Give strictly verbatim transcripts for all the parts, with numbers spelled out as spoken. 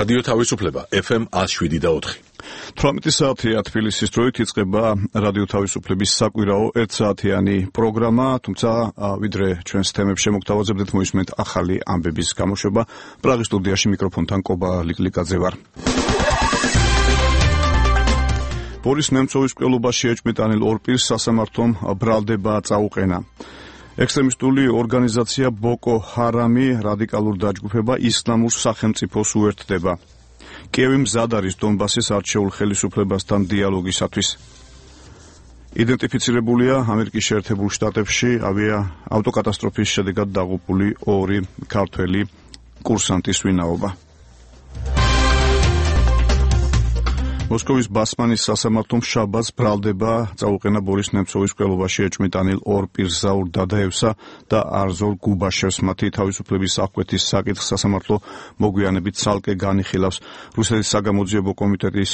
რადიო თავისუფლება ეფ ემ ათს შვიდი და ოთხი. თვრამეტი საათია თბილისის დროით იწყება რადიო თავისუფლების საკვირაო ერთსაათიანი პროგრამა, თუმცა ვიდრე ჩვენს თემებს შემოგთავაზებდეთ, მოისმენთ ახალი ამბების გამოშვება. პრაღის სტუდიაში მიკროფონთან კობა ლიკლიკაძე ვარ. ბორის ნემცოვის მკვლელობაში ეჭვმიტანილ ორ პირს სასამართლომ ბრალდება წაუყენა. ექსტრემისტული ორგანიზაცია ბოკო ჰარამი რადიკალურ დაჯგუფება ისლამურ სახელმწიფოს უერთდება. კიევი მზად არის დონბასის არჩეულ ხელისუფლებასთან დიალოგისათვის. იდენტიფიცირებულია ამერიკის შეერთებულ შტატებში ავია ავტოკატასტროფის შედეგად დაღუპული ორი ქართველი კურსანტის ვინაობა. მოსკოვის ბასმანის სასამართლომ შაბათს ბრალდება წაუყენა ბორის ნემცოვის მკვლელობაში ეჭვმიტანილ ორ პირს ზაურ დადაევსა და არზოლ გუბაშევს. მათი თავისუფლების აღკვეთის საკითხს სასამართლო მოგვიანებით ცალკე განიხილავს. რუსეთის საგამოძიებო კომიტეტის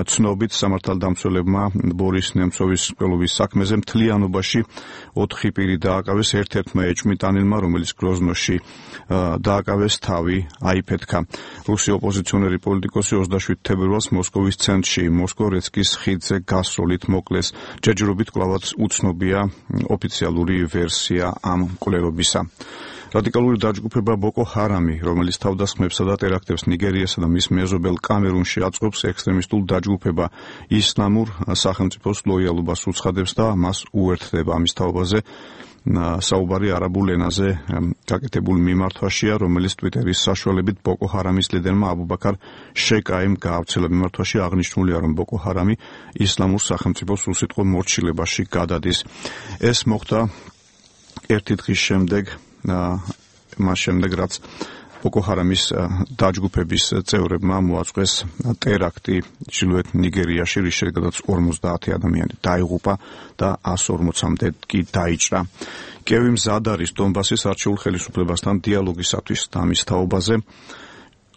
ცნობით სამართალდამცველებმა ბორის ნემცოვის მკვლელობის საქმეზე მთლიანობაში ოთხი პირი დააკავეს, ერთ-ერთმა ეჭვმიტანილმა, რომელიც გროზნოში დააკავეს, თავი აიფეთქა. რუსი ოპოზიციონერი პოლიტიკოსი ოცდაშვიდ თებერვალს მოსკოვის მოსკოვ-რეცკის ხიდზე გასროლით მოკლეს. ჯერჯერობით კვლავაც უცნობია ოფიციალური ვერსია ამ მკვლელობისა. რადიკალური დაჯგუფება ბოკო ჰარამი, რომელიც თავდასხმებსა და ტერაქტებს ნიგერიასა და მის მეზობელ კამერუნში აწყობს, ექსტრემისტულ დაჯგუფება ისლამურ სახელმწიფოს ლოიალობას უცხადებს და მას უერთდება. ამის თაობაზე საუბარი არაბულ ენაზე გაკეთებულ მიმართვაშია, რომელიც ტვიტერის საშუალებით ბოკო ჰარამის ლიდერმა აბუბაქარ შეიკაიმ გაავრცელა. მიმართვაში აღნიშნულია, რომ ბოკო ჰარამი ისლამურ სახელმწიფოს უსიტყვო მორჩილებაში გადადის. ეს მოხდა ერთი დღის შემდეგ, მას შემდეგ, რაც ბოკო ჰარამის დაჯგუფების წევრებმა მოაწყვეს ტერაქტი ჩრდილოეთ ნიგერიაში, რის შედეგადაც ორმოცდაათი ადამიანი დაიღუპა და ასს ორმოცამდე კი დაიჭრა. კიევი მზად არის დონბასის არჩეულ ხელისუფლებასთან დიალოგისათვის. ამის თაობაზე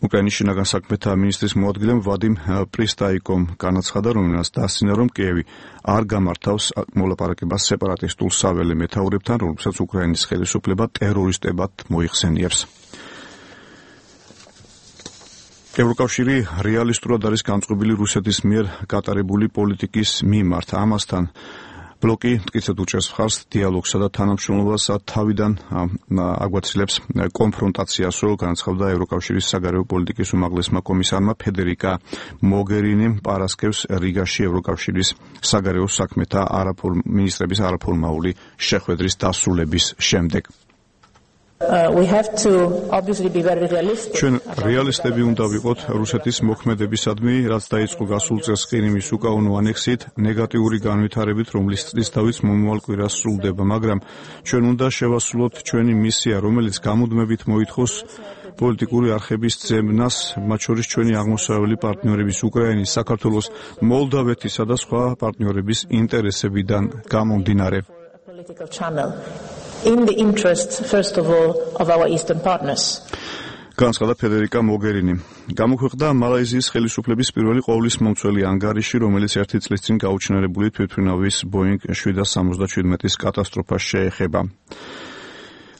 უკრაინის შინაგან საქმეთა მინისტრის მოადგილემ ვადიმ პრისტაიკომ განაცხადა, რომელსაც დასცინა, რომ კიევი არ გამართავს მოლაპარაკებას სეპარატისტულ საველე მეთაურებთან, რომლებსაც უკრაინის ხელისუფლება ტერორისტებად მოიხსენიებს. ევროკავშირი რეალისტურად არის განწყობილი რუსეთის მიერ გატარებული პოლიტიკის მიმართ. ამასთან ბლოკი მტკიცედ უჭერს მხარს დიალოგსა და თანამშრომლობას, თავიდან აგვაცილებს კონფრონტაციას, რომ განაცხადა ევროკავშირის საგარეო პოლიტიკის უმაღლესმა კომისარმა ფედერიკა მოგერინიმ პარასკევს რიგაში ევროკავშირის საგარეო საქმეთა მინისტრების არაფორმალური შეხვედრის დასრულების შემდეგ. ჩვენ რეალისტები უნდა ვიყოთ რუსეთის მოქმედებისადმი, რაც დაიწყო გასულ წელს ყირიმის უკანონო ანექსიით, ნეგატიური განვითარებით, რომლის წლისთავიც მომავალ კვირას სრულდება, მაგრამ ჩვენ უნდა შევასრულოთ ჩვენი მისია, რომელიც გამუდმებით მოითხოვს პოლიტიკური არხების ძებნას, მათ შორის ჩვენი აღმოსავლელი პარტნიორების უკრაინის, საქართველოს, მოლდავეთისა და სხვა პარტნიორების ინტერესებიდან გამომდინარე. In the interests, first of all, of our eastern partners. განაცხადა ფედერიკა მოგერინი. გამოქვეყნდა მალაიზიის ხელისუფლების პირველი ყოვლის მომცველი ანგარიში, რომელიც ერთი წლის წინ გაუჩინარებული თვითმფრინავის ბოინგ შვიდას სამოცდაშვიდმეტის კატასტროფას შეეხება.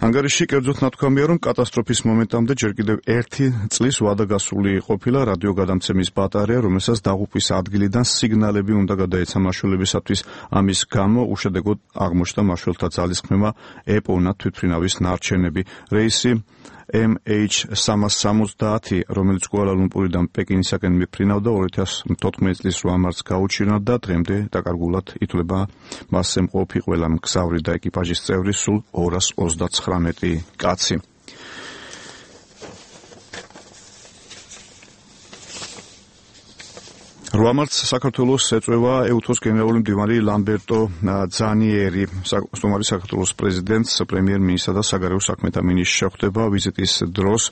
ანგარიში კერძოდ ნათქვამია, რომ კატასტროფის მომენტამდე ჯერ კიდევ ერთი წლის ვადა გასული ყოფილა რადიოგადამცემის ბატარეა, რომელსაც დაღუპვის ადგილიდან სიგნალები უნდა გადაეცა მაშველებისათვის. ამის გამო უშედეგოდ აღმოჩნდა მაშველთა ძალისხმევა ეპოვნა თვითმფრინავის ნარჩენები. რეისი ემ ეიჩ სამას სამოცდაათი, რომელიც კუალა-ლუმპურიდან პეკინისაკენ მიფრინავდა, ორი ათას თოთხმეტი წლის რვა მარტს გაუჩინა და დღემდე დაკარგულად ითვლება მასზე მყოფი ყველა მგზავრი და ეკიპაჟის წევრი, სულ ორას ოცდაცხრამეტი კაცი. რვა მარტს საქართველოს ეწვევა ეუთოს გენერალური მდივანი ლამბერტო ძანიერი. სტუმარი საქართველოს პრეზიდენტს, პრემიერ-მინისტრსა და საგარეო საქმეთა მინისტრს შეხვდება. ვიზიტის დროს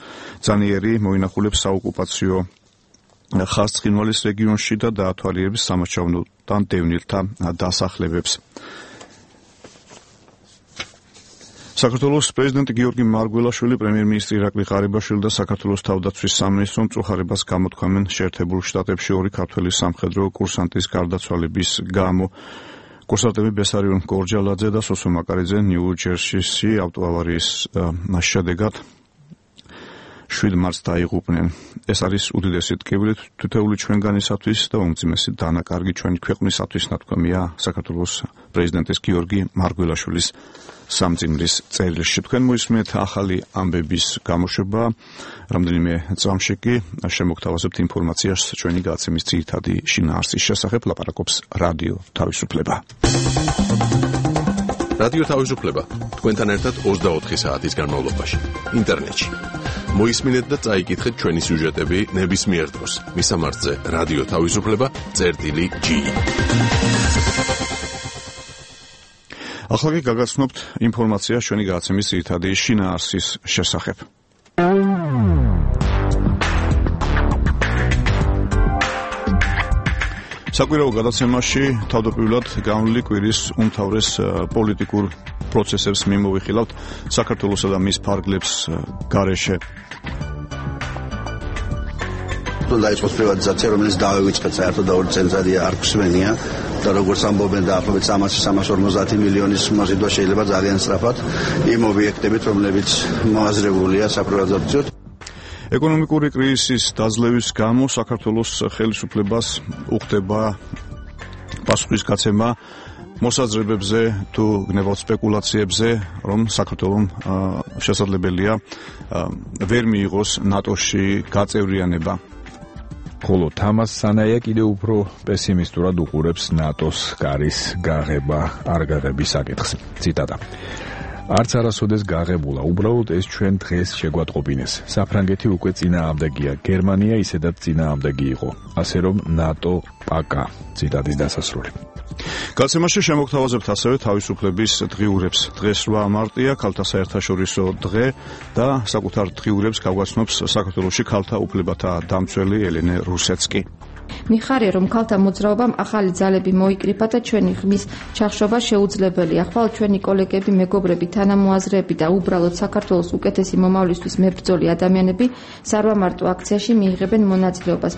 ძანიერი მოინახულებს საოკუპაციო ხაზ ცხინვალის რეგიონში და დაათვალიერებს სამართალდან დევნილთა დასახლებებს. საქართველოს პრეზიდენტი გიორგი მარგველაშვილი, პრემიერ-მინისტრი ირაკლი ღარიბაშვილი და საქართველოს თავდაცვის სამინისტრომ მწუხარებას გამოთქვამენ შეერთებულ შტატებში ორი ქართველი სამხედრო კურსანტის გარდაცვალების გამო. კურსანტები ბესარიონ გორჯალაძე და სოსო მაკარიძე ნიუ-ჯერსის ავტოავარიის შედეგად შვიდ მარტს დაიღუპნენ. ეს არის უდიდესი ტკივილი თითოეული ჩვენგანისათვის და უმძიმესი დანაკარგი ჩვენი ქვეყნისათვის, ნათქვამია საქართველოს პრეზიდენტის გიორგი მარგველაშვილის სამძიმრის წერილში. თქვენ მოისმენთ ახალი ამბების გამოშვება, რამდენიმე წამში კი შემოგთავაზებთ ინფორმაციას ჩვენი გადაცემის ძირითადი შინაარსის შესახებ. ლაპარაკობს რადიო თავისუფლება. რადიო თავისუფლება თქვენთან ერთად ოცდაოთხი საათის განმავლობაში ინტერნეტში. მოისმინეთ და წაიკითხეთ ჩვენი სიუჟეტები ნებისმიერ დროს. მისამართზე რადიო თავისუფლება წერტილი ჯი. ახლა კი გაგაცნობთ ინფორმაციას ჩვენი გადაცემის ძირითადი შინაარსის შესახებ. საკვირაო გადაცემაში თავდაპირველად განვლილი კვირის უმთავრეს პოლიტიკურ პროცესებს მიმოვიხილავთ საქართველოსა და მის ფარგლებს გარეშე. დაიწყოს პრივატიზაცია, რომელიც დავივიწყეთ საერთოდ და ორი წელიწადია არ გვსვენია და როგორც ამბობენ დაახლოებით სამას სამას ორმოცდაათი მილიონის მოზიდვა შეიძლება ძალიან სწრაფად იმ ობიექტებით, რომლებიც მოაზრებულია საპრივატიზაციოდ. ეკონომიკური კრიზისის დაძლევის გამო საქართველოს ხელისუფლებას უხდება პასუხისგაცემა მოსაზრებებზე თუ გნებავთ სპეკულაციებზე, რომ საქართველოს შესაძლებელია ვერ მიიღოს ნატოში გაწევრიანება. ხოლო თამას სანაია კიდევ უფრო პესიმისტურად უყურებს ნატოს გარის გაღება არ გაღების საკითხს. ციტატა: არც არასოდეს გაღებულა, უბრალოდ ეს ჩვენ დღეს შეგვატყობინეს. საფრანგეთი უკვე წინააღმდეგია, გერმანია ისედაც წინააღმდეგი იყო, ასე რომ ნატო პაკა. ციტატის დასასრული. გადაცემაში შემოგთავაზებთ ასევე თავისუფლების დღიურებს. დღეს რვა მარტია, ქალთა საერთაშორისო დღე და საკუთარ დღიურებს გავგაცნობს საქართველოში ქალთა უფლებათა დამცველი ელენე რუსეცკი. მიხარია, რომ ქალთა მოძრაობამ ახალი ძალები მოიკრიფა და ჩვენი ხმის ჩახშობა შეუძლებელია. ხვალ ჩვენი კოლეგები, მეგობრები, თანამოაზრეები და უბრალოდ საქართველოს უკეთესი მომავლისთვის მებრძოლი ადამიანები სარვა მარტო აქციაში მიიღებენ მონაწილეობას.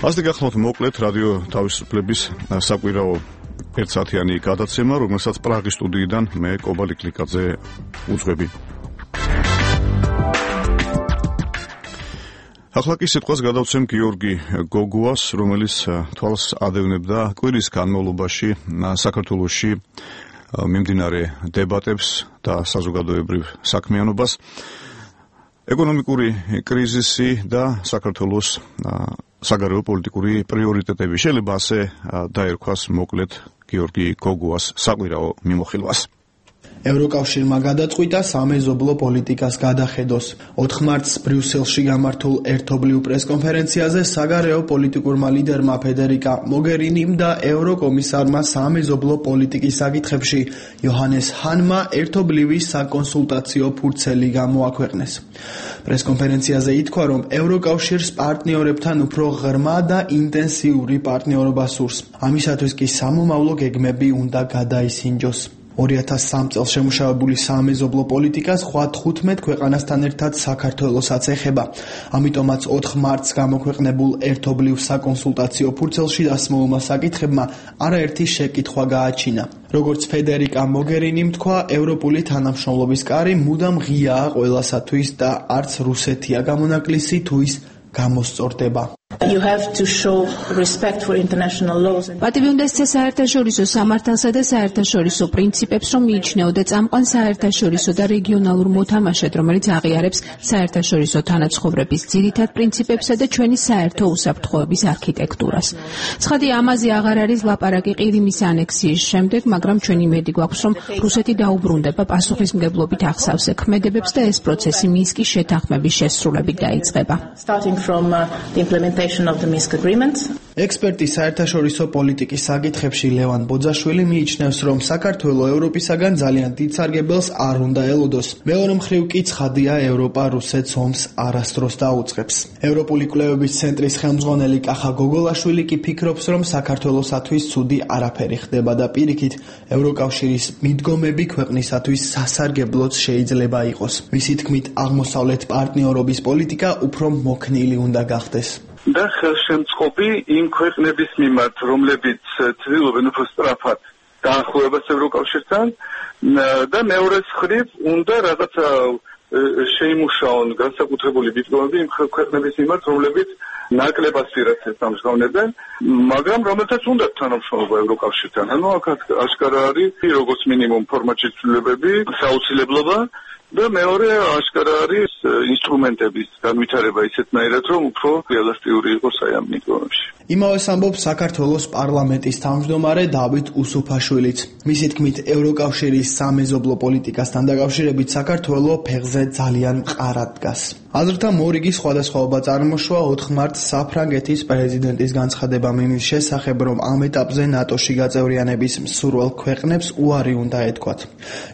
ასე გახლავთ მოკლედ რადიო თავისუფლების საკვირაო ერთსაათიანი გადაცემა, რომელსაც პრაღის სტუდიიდან მე კობალი კლიკაძე უძღვები. ახლა კი სიტყვას გადავცემ გიორგი გოგუას, რომელიც თვალს ადევნებდა კვირის განმავლობაში საქართველოში მიმდინარე დებატებს და საზოგადოებრივ საქმიანობას. ეკონომიკური კრიზისი და საქართველოს საგარეო პოლიტიკური პრიორიტეტები. შეიძლება ასე დაერქვას მოკლედ გიორგი გოგუას საკვირაო მიმოხილვას. ევროკავშირმა გადაწყვიტა სამეზობლო პოლიტიკას გადახედოს. ოთხ მარტს ბრიუსელში გამართულ ერთობლივ პრესკონფერენციაზე საგარეო პოლიტიკურმა ლიდერმა ფედერიკა მოგერინიმ და ევროკომისარმა სამეზობლო პოლიტიკის საკითხებში იოჰანეს ჰანმა ერთობლივი საკონსულტაციო ფურცელი გამოაქვეყნეს. პრესკონფერენციაზე ითქვა, რომ ევროკავშირს პარტნიორებთან უფრო ღრმა და ინტენსიური პარტნიორობა სურს. ამისათვის კი სამომავლო გეგმები უნდა გადაისინჯოს. ორი ათას სამ წელს შემუშავებული სამეზობლო პოლიტიკა სხვა თხუთმეტ ქვეყანასთან ერთად საქართველოსაც ეხება. ამიტომაც ოთხ მარტს გამოქვეყნებულ ერთობლივ საკონსულტაციო ფურცელში დასმულმა საკითხებმა არაერთი შეკითხვა გააჩინა. როგორც ფედერიკა მოგერინიმ თქვა, ევროპული თანამშრომლობის კარი მუდამ ღიაა ყველასათვის და არც რუსეთია გამონაკლისი თუ ის გამოსწორდება. You have to show respect for international laws. პატივი უნდა ესწრა საერთაშორისო სამართალსა და საერთაშორისო პრინციპებს, რომ მიიჩნეო და წამყვან საერთაშორისო და რეგიონალურ მოთამაშედ, რომელიც აღიარებს საერთაშორისო თანაცხოვრების ძირითად პრინციპებსა და ჩვენი საერთო უსაფრთხოების არქიტექტურას. ცხადი ამაზე აღარ არის ლაპარაკი ყირიმის ანექსიის შემდეგ, მაგრამ ჩვენი იმედი გვაქვს, რომ რუსეთი დაუბრუნდება პასუხისმგებლობით ახსავს ქმედებებს და ეს პროცესი მინსკის შეთანხმების შესრულებით დაიწყება. Starting from uh, the implementation of the Minsk agreement. ექსპერტი საერთაშორისო პოლიტიკის საკითხებში ლევან ბოძაშვილი მიიჩნევს, რომ საქართველო ევროპისაგან ძალიან დიდ სარგებელს არ უნდა ელოდოს. მეორე მხრივ კი ცხადია, ევროპა რუსეთს ომს არასდროს დაუწყებს. ევროპული კვლევების ცენტრის ხელმძღვანელი კახა გოგოლაშვილი კი ფიქრობს, რომ საქართველოსათვის ცუდი არაფერი ხდება და პირიქით ევროკავშირის მიდგომები ქვეყნისათვის სასარგებლოც შეიძლება იყოს. მისი თქმით, აღმოსავლეთ პარტნიორობის პოლიტიკა უფრო მოქნილი უნდა გახდეს. და ხელშემწყობი იმ ქვეყნების მიმართ, რომლებიც ცდილობენ უფრო სწრაფად დაახლოებას ევროკავშირთან და მეორე მხრივ უნდა რაღაცა შეიმუშაონ განსაკუთრებული დიპლომები იმ ქვეყნების მიმართ, რომლებიც ნაკლებ ასპირაციას ამჟღავნებენ, მაგრამ რომელთაც უნდათ თანამშრომლობა ევროკავშირთან. ანუ აქ აშკარა არის როგორც მინიმუმ ფორმატში ცვლილებები, საუცილებლობა და მეორე აშკარა არის ინსტრუმენტების განვითარება ისეთნაირად, რომ უფრო ელასტიური იყოს აი ამ მიკრონებში. იმავეს ამბობს საქართველოს პარლამენტის თავმჯდომარე დავით უსუფაშვილიც. მისი თქმით, ევროკავშირის სამეზობლო პოლიტიკასთან დაკავშირებით საქართველო ფეხზე ძალიან მყარად დგას. აზრთა მორიგი სხვადასხვაობა წარმოშვა ოთხ მარტს საფრანგეთის პრეზიდენტის განცხადებამ იმის შესახებ, რომ ამ ეტაპზე ნატოში გაწევრიანების მსურველ ქვეყნებს უარი უნდა ეთქვათ.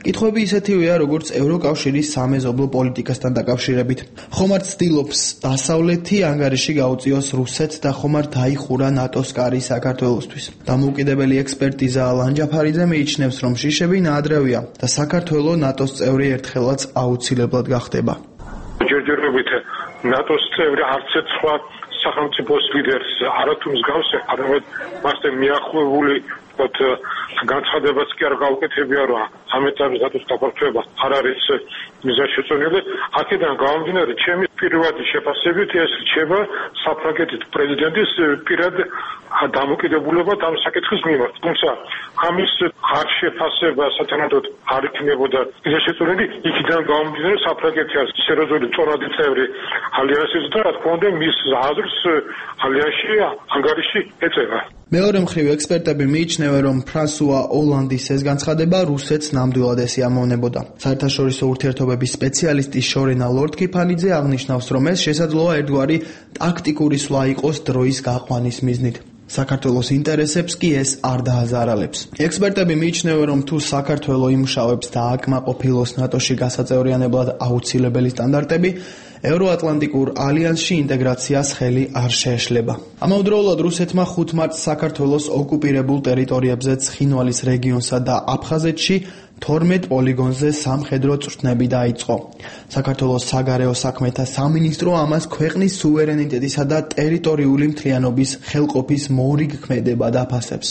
კითხვები ისეთივეა, როგორც ევროკავშირის სამეზობლო პოლიტიკასთან დაკავშირებით. ხომ არ ცდილობს დასავლეთი ანგარიში გაუწიოს რუსეთს და ხომ არ დაიხურა ნატოს კარი საქართველოსთვის. დამოუკიდებელი ექსპერტიზა ალან ჯაფარიძე მიიჩნევს, რომ შიშები ნაადრევია და საქართველო ნატოს წევრი ერთხელაც აუცილებლად გახდება. ჯერჯერობით ნატოს წევრი არც ერთ სხვა სახელმწიფოს ლიდერს არათუ მსგავსი, არამედ მასთან მიახლოებული განცხადებაც კი არ გაუკეთებია, რომ ამ ეტაპზე ნატოს გაფართოება არ არის მიზანშეწონილი. აქედან გამომდინარე, ჩემი პირველი შეფასებით ეს რჩება საფრანგეთის პრეზიდენტის პირად დამოკიდებულება ამ საკითხის მიმართ. თუმცა ამის არ შეფასება სათანადოდ არ იქნებოდა მიზანშეწონილი, იქიდან გამომდინარე საფრანგეთი არის სერიოზული წონადი წევრი ალიანსის და რა თქმა უნდა მის აზრს ალიანსში ანგარიში ეწევა. მეორე მხრივ ექსპერტები მიიჩნევენ, რომ ფრანსუა ოლანდის ეს განცხადება რუსეთს ნამდვილად ესიამოვნებოდა. საერთაშორისო ურთიერთობების სპეციალისტი შორენა ლორდ-კიფანიძე აღნიშნავს, რომ ეს შესაძლოა ერთგვარი ტაქტიკური სვლა იყოს დროის გაყვანის მიზნით. საქართველოს ინტერესებს კი ეს არ დააზარალებს. ექსპერტები მიიჩნევენ, რომ თუ საქართველო იმუშავებს და აკმაყოფილოს ნატოში გასაწევრიანებლად აუცილებელი სტანდარტები, ევროატლანტიკურ ალიანსში ინტეგრაციას ხელი არ შეეშლება. ამავდროულად რუსეთმა ხუთ მარტს საქართველოს ოკუპირებულ ტერიტორიებზე ცხინვალის რეგიონსა და აფხაზეთში თორმეტ პოლიგონზე სამხედრო წვრთნები დაიწყო. საქართველოს საგარეო საქმეთა სამინისტრო ამას ქვეყნის სუვერენიტეტისა და ტერიტორიული მთლიანობის ხელყოფის მორიგ ქმედებად აფასებს.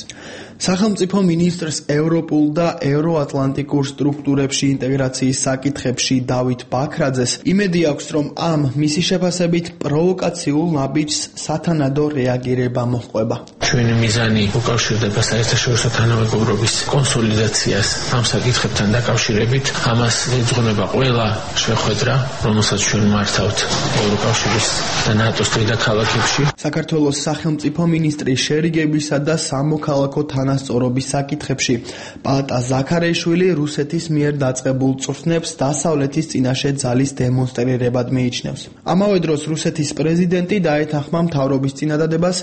სახელმწიფო მინისტრს ევროპულ და ევროატლანტიკურ სტრუქტურებში ინტეგრაციის საკითხებში დავით ბაქრაძეს იმედი აქვს, რომ ამ მისი შეფასებით პროვოკაციულ ნაბიჯს სათანადო რეაგირება მოჰყვება. ჩვენი მიზანი უკავშირდება საერთაშორისო თანამეგობრობის კონსოლიდაციას ამ საკითხებთან დაკავშირებით. ამას ეძღვნება ყველა შეხვედრა, რომელსაც ჩვენ მართავთ ევროკავშირის და ნატოს დედაქალაქებში. საქართველოს სახელმწიფო მინისტრის შერიგებისა და სამოქალაქო თანასწორობის საკითხებში პალატა ზაქარეიშვილი რუსეთის მიერ დაწყებულ წვრთნებს დასავლეთის წინაშე ძალის დემონსტრირებად მიიჩნევს. ამავე დროს რუსეთის პრეზიდენტი დაეთანხმა მთავრობის წინადადებას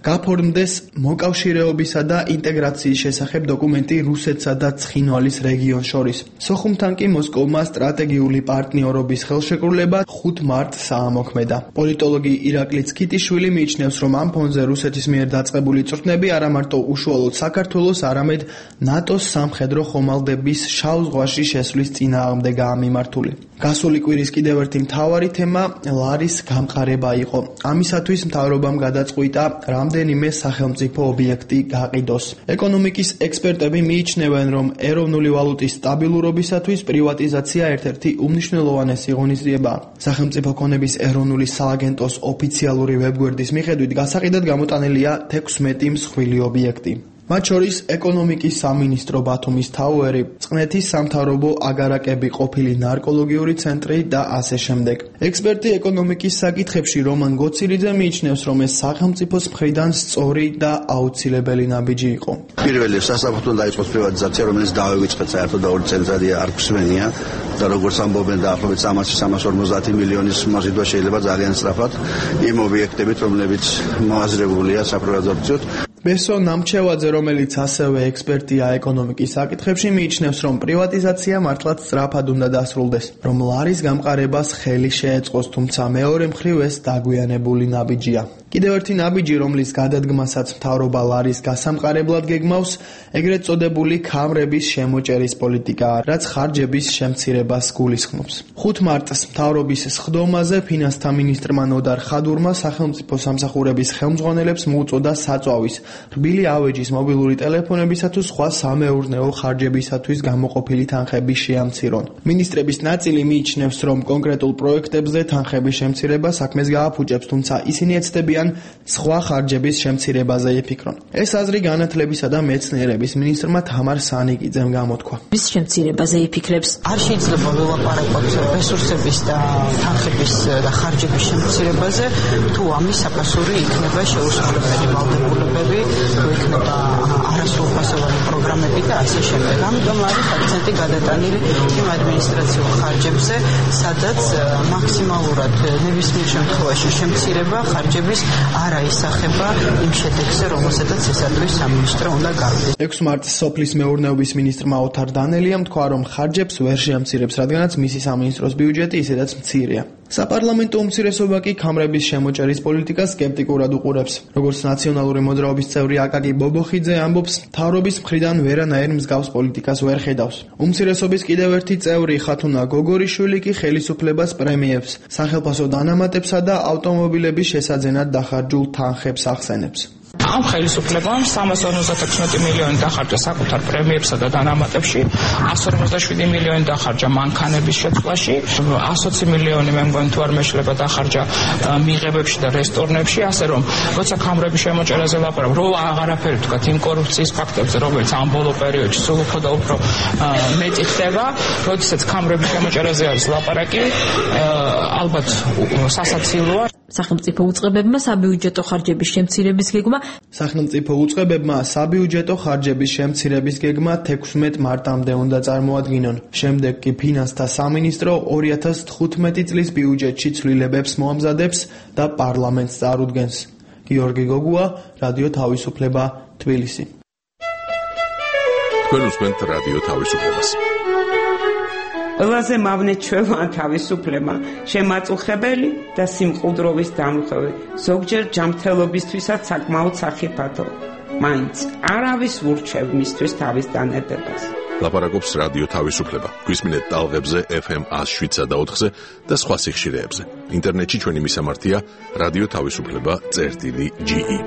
გაფორმდეს მოკავშირეობისა და ინტეგრაციის შესახებ დოკუმენტი რუსეთსა და ცხინვალის რეგიონს შორის. სოხუმთან კი მოსკოვმა სტრატეგიული პარტნიორობის ხელშეკრულება ხუთ მარტს აამოქმედა. პოლიტოლოგი ირაკლი ცქიტიშვილი მიიჩნევს, რომ ამ ფონზე რუსეთის მიერ დაწყებული წვრთნები არა მარტო უშუალოდ საქართველოს, არამედ ნატოს სამხედრო ხომალდების შავ ზღვაში შესვლის წინააღმდეგაა მიმართული. გასული კვირის კიდევ ერთი მთავარი თემა ლარის გამყარება იყო. ამისათვის მთავრობამ გადაწყვიტა რამდენიმე სახელმწიფო ობიექტი გაყიდოს. ეკონომიკის ექსპერტები მიიჩნევენ, რომ ეროვნული ვალუტის სტაბილურობისათვის პრივატიზაცია ერთ-ერთი უმნიშვნელოვანესი ღონისძიებაა. სახელმწიფო ქონების ეროვნული სააგენტოს ოფიციალური ვებგვერდის მიხედვით გასაყიდად გამოტანილია თექვსმეტი მსხვილი ობიექტი. მათ შორის ეკონომიკის სამინისტრო ბათუმის თაუერი, წყნეთის სამთავრობო აგარაკები, ყოფილი ნარკოლოგიური ცენტრი და ასე შემდეგ. ექსპერტი ეკონომიკის საკითხებში რომან გოცილიძე მიიჩნევს, რომ ეს სახელმწიფოს მხრიდან სწორი და აუცილებელი ნაბიჯი იყო. პირველი სასამართლო დაიწყოს პრივატიზაცია, რომელიც დავივიწყეთ საერთოდ და ორი წელიწადია არ გვსმენია და როგორც ამბობენ დაახლოებით სამასი სამას ორმოცდაათი მილიონის მოზიდვა შეიძლება ძალიან სწრაფად იმ ობიექტებით, რომლებიც მოაზრებულია საპრივატიზაციოდ. ბესო ნამჩევაძე, რომელიც ასევე ექსპერტია ეკონომიკის საკითხებში, მიიჩნევს, რომ პრივატიზაცია მართლაც სწრაფად უნდა დასრულდეს, რომ ლარის გამყარებას ხელი შეეწყოს, თუმცა მეორე მხრივ ეს დაგვიანებული ნაბიჯია. კიდევ ერთი ნაბიჯი, რომლის გადადგმასაც მთავრობა ლარის გასამყარებლად გეგმავს, ეგრეთ წოდებული ქამრების შემოჭერის პოლიტიკაა, რაც ხარჯების შემცირებას მიღებას გულისხმობს. ხუთ მარტს მთავრობის სხდომაზე ფინანსთა მინისტრმა ნოდარ ხადურმა სახელმწიფო სამსახურების ხელმძღვანელებს მოუწოდა საწვავის, რბილი ავეჯის მობილური ტელეფონებისა თუ სხვა სამეურნეო ხარჯებისათვის გამოყოფილი თანხების შეამცირონ. მინისტრების ნაწილი მიიჩნევს, რომ კონკრეტულ პროექტებზე თანხების შემცირება საქმეს გააფუჭებს, თუმცა ისინი ეცდებიან სხვა ხარჯების შემცირებაზე იფიქრონ. ეს აზრი განათლებისა და მეცნიერების მინისტრმა თამარ სანიკიძემ გამოთქვა. მის შემცირებაზე იფიქრებს. არ შეიძლება ველაპარაკოთ რესურსების და თანხების და ხარჯების შემცირებაზე, თუ ამის საფასური იქნება შეუსრულებელი ვალდებულებები, თუ იქნება არასრულფასოვანი პროგრამები და ასე შემდეგ. ამიტომ არის აქცენტი გადატანილი იმ ადმინისტრაციულ ხარჯებზე, სადაც მაქსიმალურად ნებისმიერ შემთხვევაში შემცირება ხარჯების არ აისახება იმ შედეგზე, რომელსაც ესატყვის სამინისტრო უნდა გავიდეს. ექვსი მარტს სოფლის მეურნეობის მინისტრმა ოთარ დანელიამ თქვა, რომ ხარჯებს ვერ შეამცირებს, რადგანაც მისი სამინისტროს ბიუჯეტი ისედაც მცირეა. საპარლამენტო უმცირესობა კი ქამრების შემოჭერის პოლიტიკას სკეპტიკურად უყურებს. როგორც ნაციონალური მოძრაობის წევრი აკაკი ბობოხიძე ამბობს, მთავრობის მხრიდან ვერანაირ მსგავს პოლიტიკას ვერ ხედავს. უმცირესობის კიდევ ერთი წევრი ხათუნა გოგორიშვილი კი ხელისუფლებას პრემიებს, სახელფასო დანამატებსა და ავტომობილების შესაძენად დახარჯულ თანხებს ახსენებს. ამ ხელისუფლებამ სამას ორმოცდაოთხ მილიონი დახარჯა საკუთარ პრემიებსა და დანამატებში, εκατს ორმოცდაშვიდი მილიონი დახარჯა მანქანების შეცვლაში, εκατს ოცი მილიონი მე მგონი თუ არ მეშლება დახარჯა მიღებებში და რესტორნებში, ასე რომ როცა ქამრების შემოჭერაზე ლაპარაკობ, რო აღარაფერი ვთქვათ იმ კორუფციის ფაქტებზე, რომელიც ამ ბოლო პერიოდში სულ უფრო და უფრო მეტი ხდება, როდესაც ქამრების შემოჭერაზე არის ლაპარაკი, ალბათ სასაცილოა. სახელმწიფო უწყებებმა საბიუჯეტო ხარჯების შემცირების გეგმა სახელმწიფო უწყებებმა საბიუჯეტო ხარჯების შემცირების გეგმა თექვსმეტ მარტამდე უნდა წარმოადგინონ. შემდეგ კი ფინანსთა სამინისტრო ორი ათას თხუთმეტი წლის ბიუჯეტში ცვლილებებს მოამზადებს და პარლამენტს წარუდგენს. გიორგი გოგუა, რადიო თავისუფლება, თბილისი. თქვენ უსმენთ რადიო თავისუფლებას. ყველაზე მავნე ჩვევა თავისუფლება, შემაწუხებელი და სიმყუდროვის დამხევი, ზოგჯერ ჯანმრთელობისთვისაც საკმაოდ სახიფათო. მაინც არავის ურჩევ მისთვის თავის დანედებას. ლაპარაკობს რადიო თავისუფლება. გვისმინეთ ტალღებზე ეფ ემ ათს შვიდსა და ოთხზე და სხვა სიხშირეებზე. ინტერნეტში ჩვენი მისამართია რადიო თავისუფლება წერტილი ჯი ი.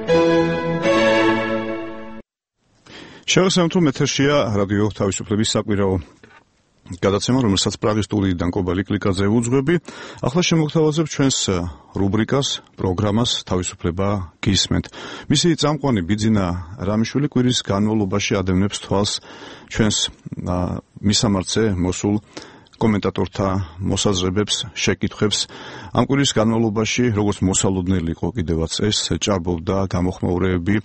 შევასწავლოთ, რომ ეთერშია რადიო თავისუფლების საკვირაო გადაცემა, რომელსაც პრაღის სტუდიიდან კობალი კლიკაძე უძღვები. ახლა შემოგთავაზებ ჩვენს რუბრიკას, პროგრამას თავისუფლება გისმენთ. მისი წამყვანი ბიძინა რამიშვილი კვირის განმავლობაში ადევნებს თვალს ჩვენს მისამართზე მოსულ კომენტატორთა მოსაზრებებს, შეკითხვებს. ამ კვირის განმავლობაში, როგორც მოსალოდნელი იყო კიდევაც ეს, ჭარბობდა გამოხმაურებები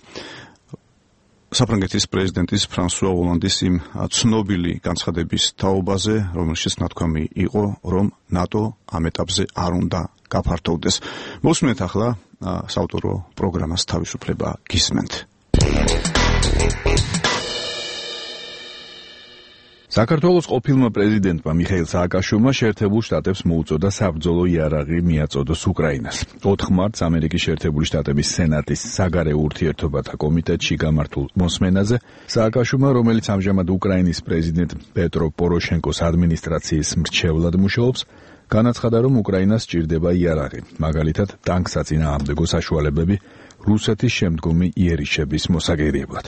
საფრანგეთის პრეზიდენტის ფრანსუა ოლანდის იმ ცნობილი განცხადების თაობაზე, რომელშიც ნათქვამი იყო, რომ ნატო ამ ეტაპზე არ უნდა გაფართოვდეს. მოსმენთ ახლა საავტორო პროგრამას თავისუფლება გისმენთ. საქართველოს ყოფილმა პრეზიდენტმა მიხეილ სააკაშვილმა შეერთებულ შტატებს მოუწოდა საბრძოლო იარაღი მიაწოდოს უკრაინას. ოთხ მარტს ამერიკის შეერთებული შტატების სენატის საგარეო ურთიერთობათა კომიტეტში გამართულ მოსმენაზე სააკაშვილმა, რომელიც ამჟამად უკრაინის პრეზიდენტ პეტრო პოროშენკოს ადმინისტრაციის მრჩევლად მუშაობს, განაცხადა, რომ უკრაინას სჭირდება იარაღი, მაგალითად ტანკსაწინააღმდეგო საშუალებები რუსეთის შემდგომი იერიშების მოსაგერიებლად.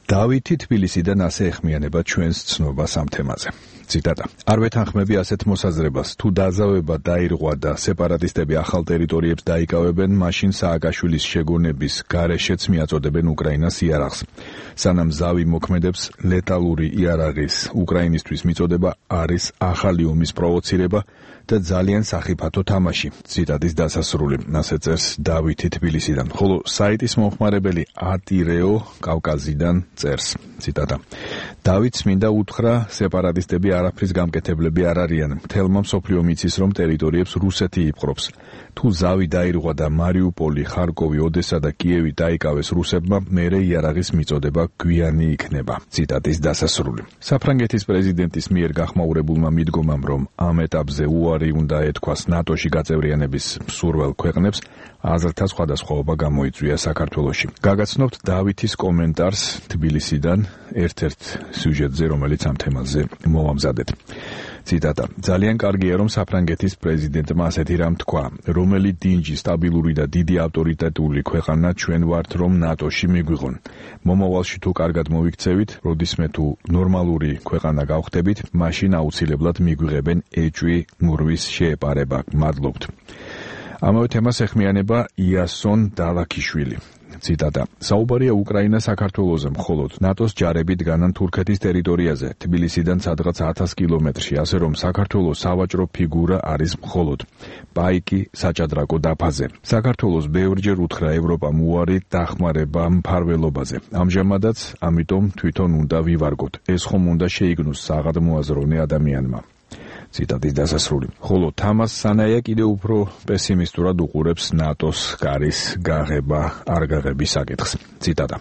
დავითი თბილისიდან ასე ეხმიანება ჩვენს ცნობას ამ თემაზე. ციტატა: არ ვეთანხმები ასეთ მოსაზრებას, თუ დაზავება დაირღვა და სეპარატისტები ახალ ტერიტორიებს დაიკავებენ, მაშინ სააკაშვილის შეგონების გარეშეც მიაწოდებენ უკრაინას იარაღს. სანამ ზავი მოქმედებს, ლეტალური იარაღის უკრაინისთვის მიწოდება არის ახალი ომის პროვოცირება და ძალიან სახიფათო თამაში. ციტატის დასასრული, ასე წერს დავითი თბილისიდან, ხოლო საიტის მომხმარებელი ატირეო კავკაზიდან წერს. ციტატა: დავითს მინდა უთხრა, სეპარატისტები არაფრის გამკეთებლები არ არიან. მთელმა მსოფლიომ იცის, რომ ტერიტორიებს რუსეთი იპყრობს. თუ ზავი დაირღვა და მარიუპოლი, ხარკოვი, ოდესა და კიევი დაიკავეს რუსებმა, მერე იარაღის მიწოდება გვიანი იქნება. ციტატის დასასრული. საფრანგეთის პრეზიდენტის მიერ გახმაურებულმა მიდგომამ, რომ ამ ეტაპზე უარი უნდა ეთქვას ნატოში გაწევრიანების მსურველ ქვეყნებს, აზრთა სხვადასხვაობა გამოიწვია საქართველოში. გაგაცნობთ დავითის კომენტარს თბილისიდან ერთ-ერთ სიუჟეტზე, რომელიც ამ თემაზე მოვამზადეთ. ციტატა: ძალიან კარგია, რომ საფრანგეთის პრეზიდენტმა ასეთი რამ თქვა, რომელი დინჯი, სტაბილური და დიდი ავტორიტეტული ქვეყანა ჩვენ ვართ, რომ ნატოში მიგვიღონ. მომავალში თუ კარგად მოვიქცევით, როდისმე თუ ნორმალური ქვეყანა გავხდებით, მაშინ აუცილებლად მიგვიღებენ ეჭვი მურვის შეეპარება. მადლობთ. ამავე თემას ეხმიანება იასონ დალაქიშვილი. ციტატა: საუბარია უკრაინა საქართველოზე, მხოლოდ ნატოს ჯარები დგანან თურქეთის ტერიტორიაზე, თბილისიდან სადღაც ათას კილომეტრში, ასე რომ საქართველოს სავაჭრო ფიგურა არის მხოლოდ პაიკი საჭადრაკო დაფაზე. საქართველოს ბევრჯერ უთხრა ევროპამ უარი დახმარება მფარველობაზე. ამჟამადაც ამიტომ თვითონ უნდა ვივარგოთ. ეს ხომ უნდა შეიგნოს საღადმოაზროვნე ადამიანმა. ციტატის დასასრული. ხოლო თამას სანაია კიდევ უფრო პესიმისტურად უყურებს ნატოს კარის გაღება არ გაღების საკითხს. ციტატა: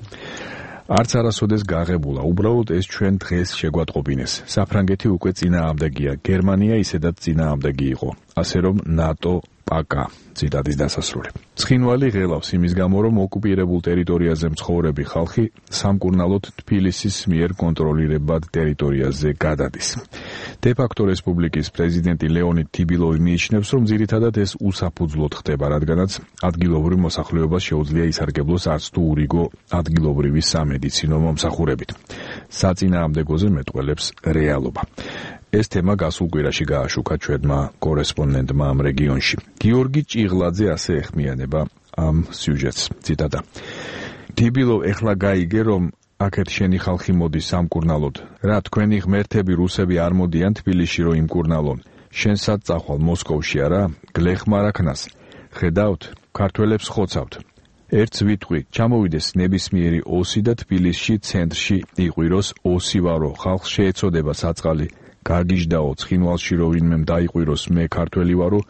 არც არასოდეს გაღებულა, უბრალოდ ეს ჩვენ დღეს შეგვატყობინეს. საფრანგეთი უკვე წინააღმდეგია, გერმანია ისედაც წინააღმდეგი იყო. ასე რომ ნატო პაკა. ციტატის დასასრული. ცხინვალი ღელავს იმის გამო, რომ ოკუპირებულ ტერიტორიაზე მცხოვრები ხალხი სამკურნალოდ თბილისის მიერ კონტროლირებად ტერიტორიაზე გადადის. დე-ფაქტო რესპუბლიკის პრეზიდენტი ლეონიდ თიბილოვი მიიჩნევს, რომ ძირითადად ეს უსაფუძვლოდ ხდება, რადგანაც ადგილობრივ მოსახლეობას შეუძლია ისარგებლოს არც თუ ურიგო ადგილობრივი სამედიცინო მომსახურებით. საწინააღმდეგოზე მეტყველებს რეალობა. ეს თემა გასულ კვირაში გააშუქა ჩვენმა კორესპონდენტმა ამ რეგიონში. გიორგი ჭიღლაძე ასე ეხმიანება ამ სიუჟეტს. ციტატა: თიბილოვ ეხლა გაიგე, რომ აქეთ შენი ხალხი მოდის სამკურნალოდ. რა თქვენი ღმერთები რუსები არ მოდიან თბილისში რომ იმკურნალონ. შენ სად წახვალ მოსკოვში არა? გლეხმარ აქნას. ხედავთ, ქართველებს ხოცავთ. ერთს ვიტყვი, ჩამოვიდეს ნებისმიერი ოსი და თბილისში ცენტრში იყვიროს ოსი ვარო, ხალხს შეეცოდება საწყალი. გაგიჟდაო ცხინვალში რო ვინმემ დაიყვიროს მე ქართველი ვარო,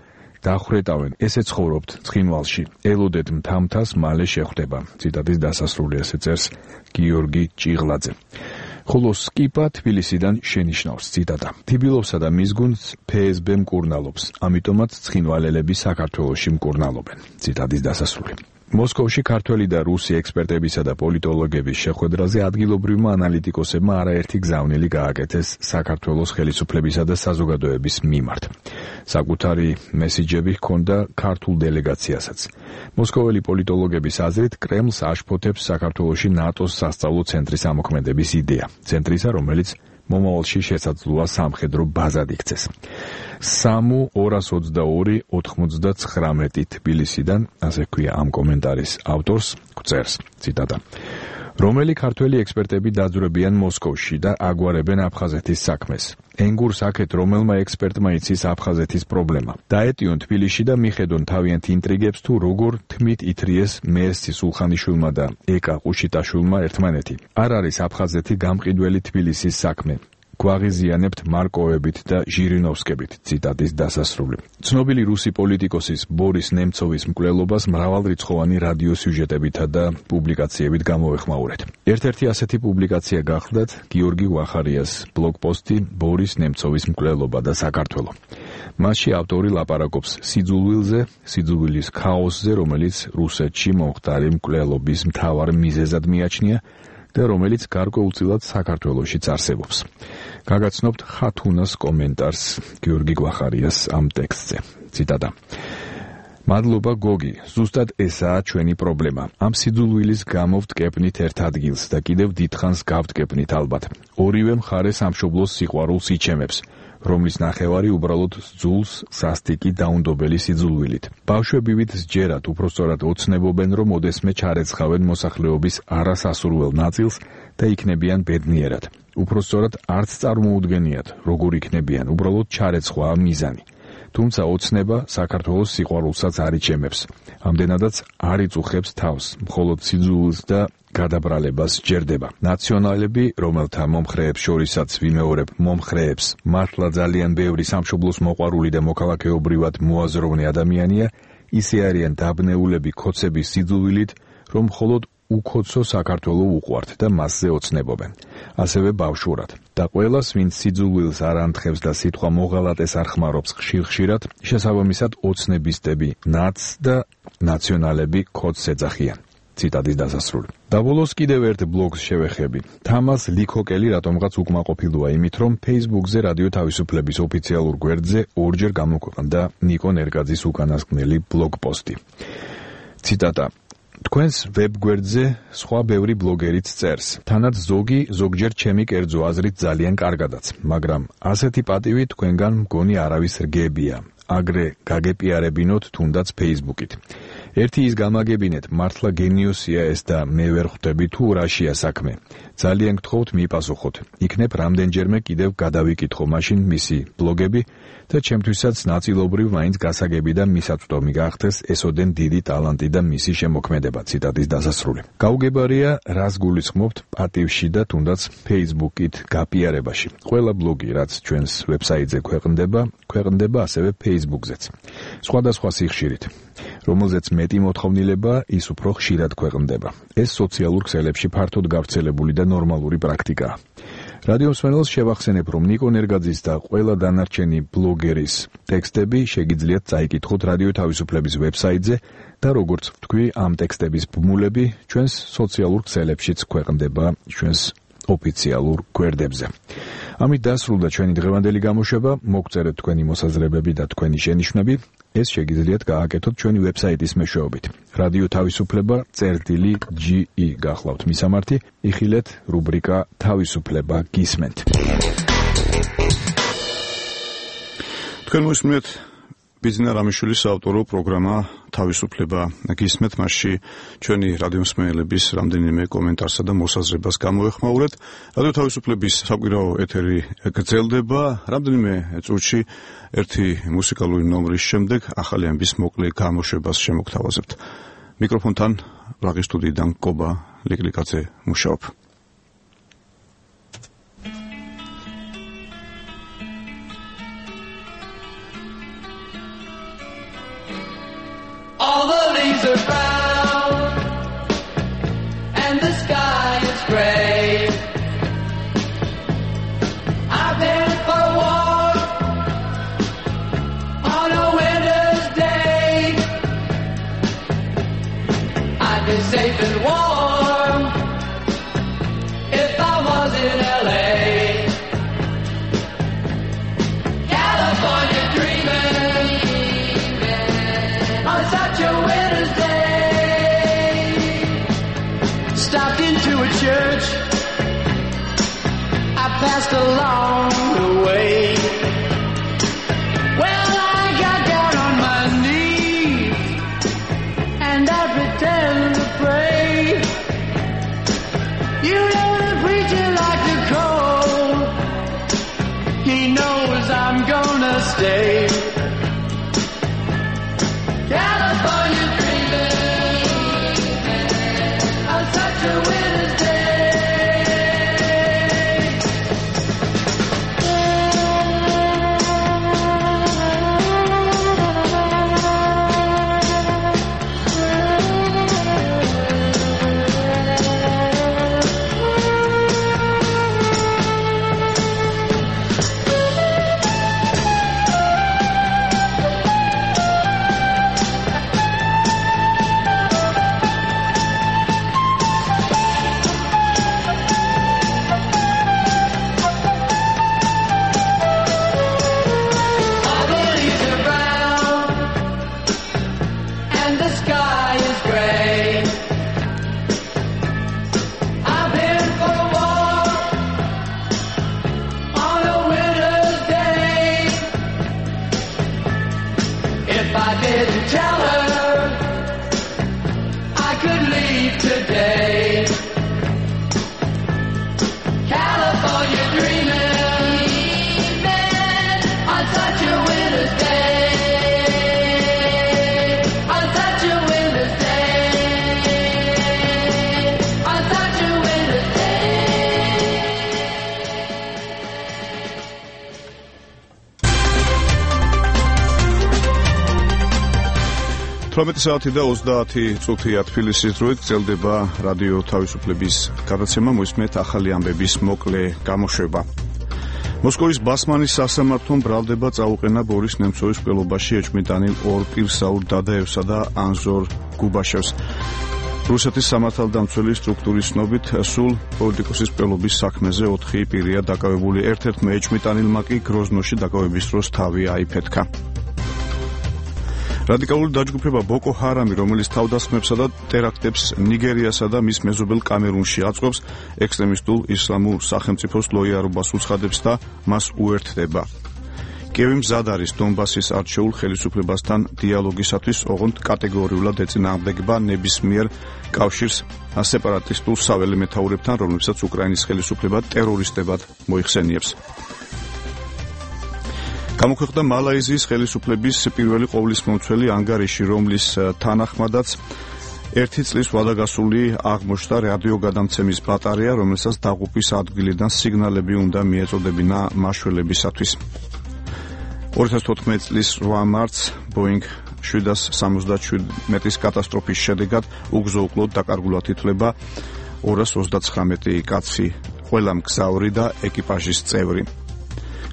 დახრეტავენ, ესე ცხოვრობთ ცხინვალში, ელოდეთ მთამთას, მალე შეხვდება. ციტატის დასასრული ესე წერს გიორგი ჭიღლაძე. ხოლო სკიპა თბილისიდან შენიშნავს. ციტატა: თიბილოვსა და მის გუნდს ფე ეს ბე მკურნალობს, ამიტომაც ცხინვალელები საქართველოში მკურნალობენ. ციტატის დასასრული. მოსკოვში ქართველი და რუსი ექსპერტებისა და პოლიტოლოგების შეხვედრაზე ადგილობრივმა ანალიტიკოსებმა არაერთი გზავნილი გააკეთეს საქართველოს ხელისუფლებისა და საზოგადოების მიმართ. საკუთარი მესიჯები ჰქონდა ქართულ დელეგაციასაც. მოსკოველი პოლიტოლოგების აზრით, კრემლს აშფოთებს საქართველოში ნატოს სასწავლო ცენტრის ამოქმედების იდეა. ცენტრისა, რომელიც მომავალში შესაძლოა სამხედრო ბაზად იქცეს. სამუ ორას ოცდაორი ოთხმოცდაცხრამეტი თბილისიდან, ასე ქვია ამ კომენტარის ავტორს, გვწერს. ციტატა: რომელი ქართველი ექსპერტები დაძვრებიან მოსკოვში და აგვარებენ აფხაზეთის საქმეს. ენგურს აქეთ რომელმა ექსპერტმა იცის აფხაზეთის პრობლემა. დაეტიონ თბილისში და მიხედონ თავიანთ ინტრიგებს თუ როგორ თმით ითრიეს მერსი სულხანიშვილმა და ეკა ყუშიტაშვილმა ერთმანეთი. არ არის აფხაზეთი გამყიდველი თბილისის საქმე. გვაღიზიანებთ მარკოვებით და ჟირინოვსკებით. ციტატის დასასრული. ცნობილი რუსი პოლიტიკოსის ბორის ნემცოვის მკვლელობას მრავალრიცხოვანი რადიო სიუჟეტებითა და პუბლიკაციებით გამოვეხმაურეთ. ერთ-ერთი ასეთი პუბლიკაცია გახლდათ გიორგი ვახარიას ბლოგპოსტი ბორის ნემცოვის მკვლელობა და საქართველო. მასში ავტორი ლაპარაკობს სიძულვილზე, სიძულვილის ქაოსზე, რომელიც რუსეთში მომხდარი მკვლელობის მთავარ მიზეზად მიაჩნია და რომელიც გარკვეულწილად საქართველოშიც არსებობს. გაგაცნობთ ხათუნას კომენტარს გიორგი გვახარიას ამ ტექსტზე. ციტატა: მადლობა გოგი, ზუსტად ესაა ჩვენი პრობლემა. ამ სიძულვილის გამო ვტკეპნით ერთ ადგილს და კიდევ დიდხანს გავტკეპნით ალბათ. ორივე მხარე სამშობლოს სიყვარულს იჩემებს, რომლის ნახევარი უბრალოდ ძულს სასტიკი დაუნდობელი სიძულვილით. ბავშვებივით სჯერათ, უпростоრად ოცნებობენ, რომ ოდესმე ჩარეცხავენ მოსახლეობის არასასურველ ნაწილს და იქნებიან ბედნიერად. უпростоრად არც წარმოუდგენიათ, როგორ იქნებიან, უბრალოდ ჩარეცხვაა მიზანი. თუმცა ოცნება საქართველოს სიყვარულსაც არ იჩემებს. ამდენადაც არ იწუხებს თავს, მხოლოდ სიძულვილს და გადაბრალებას სჯერდება. ნაციონალები, რომელთა მომხრეებს შორისაც ვიმეორებ მომხრეებს, მართლა ძალიან ბევრი სამშობლოს მოყვარული და მოქალაქეობრივად მოაზროვნე ადამიანია, ისე არიან დაბნეულები ქოცების სიძულვილით, რომ მხოლოდ უკოცო საქართველო უყვართ და მასზე ოცნებობენ. ასევე ბავშვურად. და ყველას, ვინც სიძულვილს არ ანთხევს და სიტყვა მოღალატეს არ ხმარობს ხშირ-ხშირად, შესაბამისად ოცნებისტები ნაც და ნაციონალები ქოცს ეძახიან. ციტატის დასასრული. და ბოლოს კიდევ ერთ ბლოგს შევეხები. თამას ლიქოკელი რატომღაც უკმაყოფილოა იმით, რომ Facebook-ზე რადიო თავისუფლების ოფიციალურ გვერდზე ორჯერ გამოქვეყნდა ნიკო ნერგაძის უკანასკნელი ბლოგ-პოსტი. ციტატა: თქვენს ვებ-გვერდზე სხვა ბევრი ბლოგერიც წერს. თანაც ზოგი ზოგჯერ ჩემი კერძო აზრით ძალიან კარგადაც, მაგრამ ასეთი პატივი თქვენგან მგონი არავის რგებია. აგრე გაგეპიარებინოთ თუნდაც Facebook-ით. ერთი ის გამაგებინეთ, მართლა გენიოსია ეს და მე ვერ ხვდები თუ რაშია საქმე. ძალიან გთხოვთ მიპასუხოთ. იქნებ რამდენჯერმე კიდევ გადავიკითხო მაშინ მისი ბლოგები და ჩემთვისაც ნაწილობრივ მაინც გასაგები და მისაწვდომი გახდეს ესოდენ დიდი ტალანტი და მისი შემოქმედება. ციტატის დასასრული. გაუგებარია, რას გულისხმობთ პატივში და თუნდაც Facebook-ით გაპიარებაში. ყველა ბლოგი, რაც ჩვენს ვებსაიტზე ქვეყნდება, ქვეყნდება ასევე Facebook-ზეც. სხვადასხვა სიხშირით, რომელზეც მეტი მოთხოვნილება, ის უფრო ხშირად ქვეყნდება. ეს სოციალურ ქსელებში ფართოდ გავრცელებული და ნორმალური პრაქტიკაა. რადიო მსმენელს შევახსენებ, რომ ნიკო ნერგაძის და ყველა დანარჩენი ბლოგერის ტექსტები შეგიძლიათ წაიკითხოთ რადიო თავისუფლების ვებსაიტზე და როგორც ვთქვი, ამ ტექსტების ბმულები ჩვენს სოციალურ ქსელებშიც ქვეყნდება ჩვენს ოფიციალურ გვერდებზე. ამით დასრულდა ჩვენი დღევანდელი გამოშვება. მოგწერეთ თქვენი მოსაზრებები და თქვენი შენიშვნები. ეს შეგიძლიათ გააკეთოთ ჩვენი ვებსაიტის მეშვეობით. რადიო თავისუფლება წერტილი ჯი ი გახლავთ მისამართი. იხილეთ რუბრიკა თავისუფლება გისმენთ. თქვენ მოსმენთ ბიზნა რამიშვილის საავტორო პროგრამა თავისუფლება გისმენთ. მასში ჩვენი რადიო მსმენელების რამდენიმე კომენტარსა და მოსაზრებას გამოვეხმაურეთ. რადიო თავისუფლების საკვირაო ეთერი გრძელდება. რამდენიმე წუთში ერთი მუსიკალური ნომრის შემდეგ ახალი ამბის მოკლე გამოშვებას შემოგთავაზებთ. მიკროფონთან ბრაღის სტუდიიდან კობა ლიკლიკაძე მუშაობ. All the leaves are brown and the sky is gray. I've been for a walk on a winter's day. I'd be safe and warm if I was in L A. California dreaming on such a winter's day. Stopped into a church I passed along the way. Well, I got down on my knees and I pretended to pray. You know the preacher like to call. He knows I'm gonna stay. California dreaming on such a winter's day. All the leaves are brown and the sky is gray. I've been for a walk on a winter's day. If I didn't tell her I could leave today. California dreaming on such a winter's day. On such a winter's day. On such a winter's day. თვრამეტი საათი და ოცდაათი წუთია თბილისის დროით გრძელდება რადიო თავისუფლების გადაცემა. მოისმენთ ახალი ამბების მოკლე გამოშვება. მოსკოვის ბასმანის სასამართლომ ბრალდება წაუყენა ბორის ნემცოვის მკვლელობაში ეჭვმიტანილ ორ პირსაურ დადაევსა და ანზორ გუბაშევს. რუსეთის სამართალდამცველი სტრუქტურის ცნობით სულ პოლიტიკოსის მკვლელობის საქმეზე ოთხი პირია დაკავებული. ერთ-ერთმა ეჭვმიტანილმა კი გროზნოში დაკავების დროს თავი აიფეთქა. რადიკალური დაჯგუფება ბოკო ჰარამი, რომელიც თავდასხმებსა და ტერაქტებს ნიგერიასა და მის მეზობელ კამერუნში აწყობს, ექსტრემისტულ ისლამურ სახელმწიფოს ლოიალობას უცხადებს და მას უერთდება. კიევი მზად არის დონბასის არჩეულ ხელისუფლებასთან დიალოგისათვის, ოღონდ კატეგორიულად ეწინააღმდეგება ნებისმიერ კავშირს სეპარატისტულ საველე მეთაურებთან, რომლებსაც უკრაინის ხელისუფლება ტერორისტებად მოიხსენიებს. გამოქვეყნდა მალაიზიის ხელისუფლების პირველი ყოვლისმომცველი ანგარიში, რომლის თანახმადაც ერთი წლის ვადაგასული აღმოჩნდა რადიოგადამცემის ბატარეა, რომელსაც დაღუპვის ადგილიდან სიგნალები უნდა მიეწოდებინა მაშველებისათვის. ორი ათას თოთხმეტი წლის რვა მარტს ბოინგ შვიდას სამოცდაშვიდი მეტრის კატასტროფის შედეგად უგზო-უკვლოდ დაკარგულად ითვლება ორას ოცდაცხრამეტი კაცი, ყველა მგზავრი და ეკიპაჟის წევრი.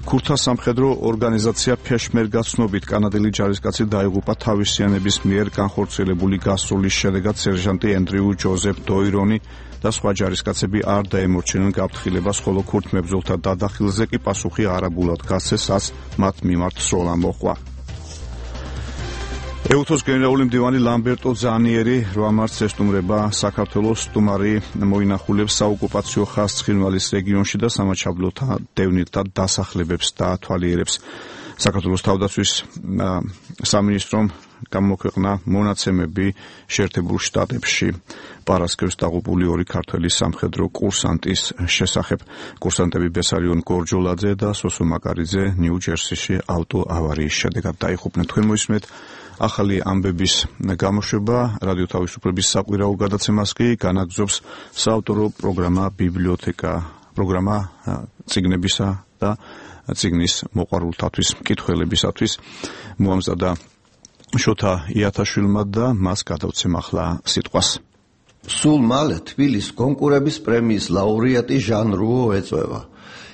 ქურთა სამხედრო ორგანიზაცია ფეშმერგას ცნობით კანადელი ჯარისკაცი დაიღუპა თავისიანების მიერ განხორციელებული გასროლის შედეგად. სერჟანტი ენდრიუ ჯოზეფ დოირონი და სხვა ჯარისკაცები არ დაემორჩილნენ გაფრთხილებას, ხოლო ქურთ მებრძოლთა დადახილზე კი პასუხი არაბულად გასცეს, რაც მათ მიმართ სროლა მოჰყვა. ეუთოს გენერალური მდივანი ლამბერტო ზანიერი რვა მარტს ესტუმრება საქართველოს სტუმარი მოინახულებს საოკუპაციო ხაზს ცხინვალის რეგიონში და სამაჩაბლოთა დევნილთა დასახლებებს დაათვალიერებს. საქართველოს თავდაცვის სამინისტრომ გამოქვეყნა მონაცემები შეერთებულ შტატებში პარასკევს დაღუპული ორი ქართველი სამხედრო კურსანტის შესახებ. კურსანტები ბესარიონ გორჯოლაძე და სოსო მაკარიძე ნიუ-ჯერსიში ავტოავარიის შედეგად დაიღუპნენ. თქვენ მოისმენთ ახალი ამბების გამოშვება. რადიო თავისუფლების საყვირაო გადაცემას კი განაგრძობს საავტორო პროგრამა ბიბლიოთეკა, პროგრამა წიგნებისა და წიგნის მოყვარულთათვის, მკითხველებისათვის მოამზადა შოთა იათაშვილმა და მას გადავცემ ახლა სიტყვას. სულ მალე თბილისის კონკურების პრემიის ლაურეატი ჟან რუო ეწვევა.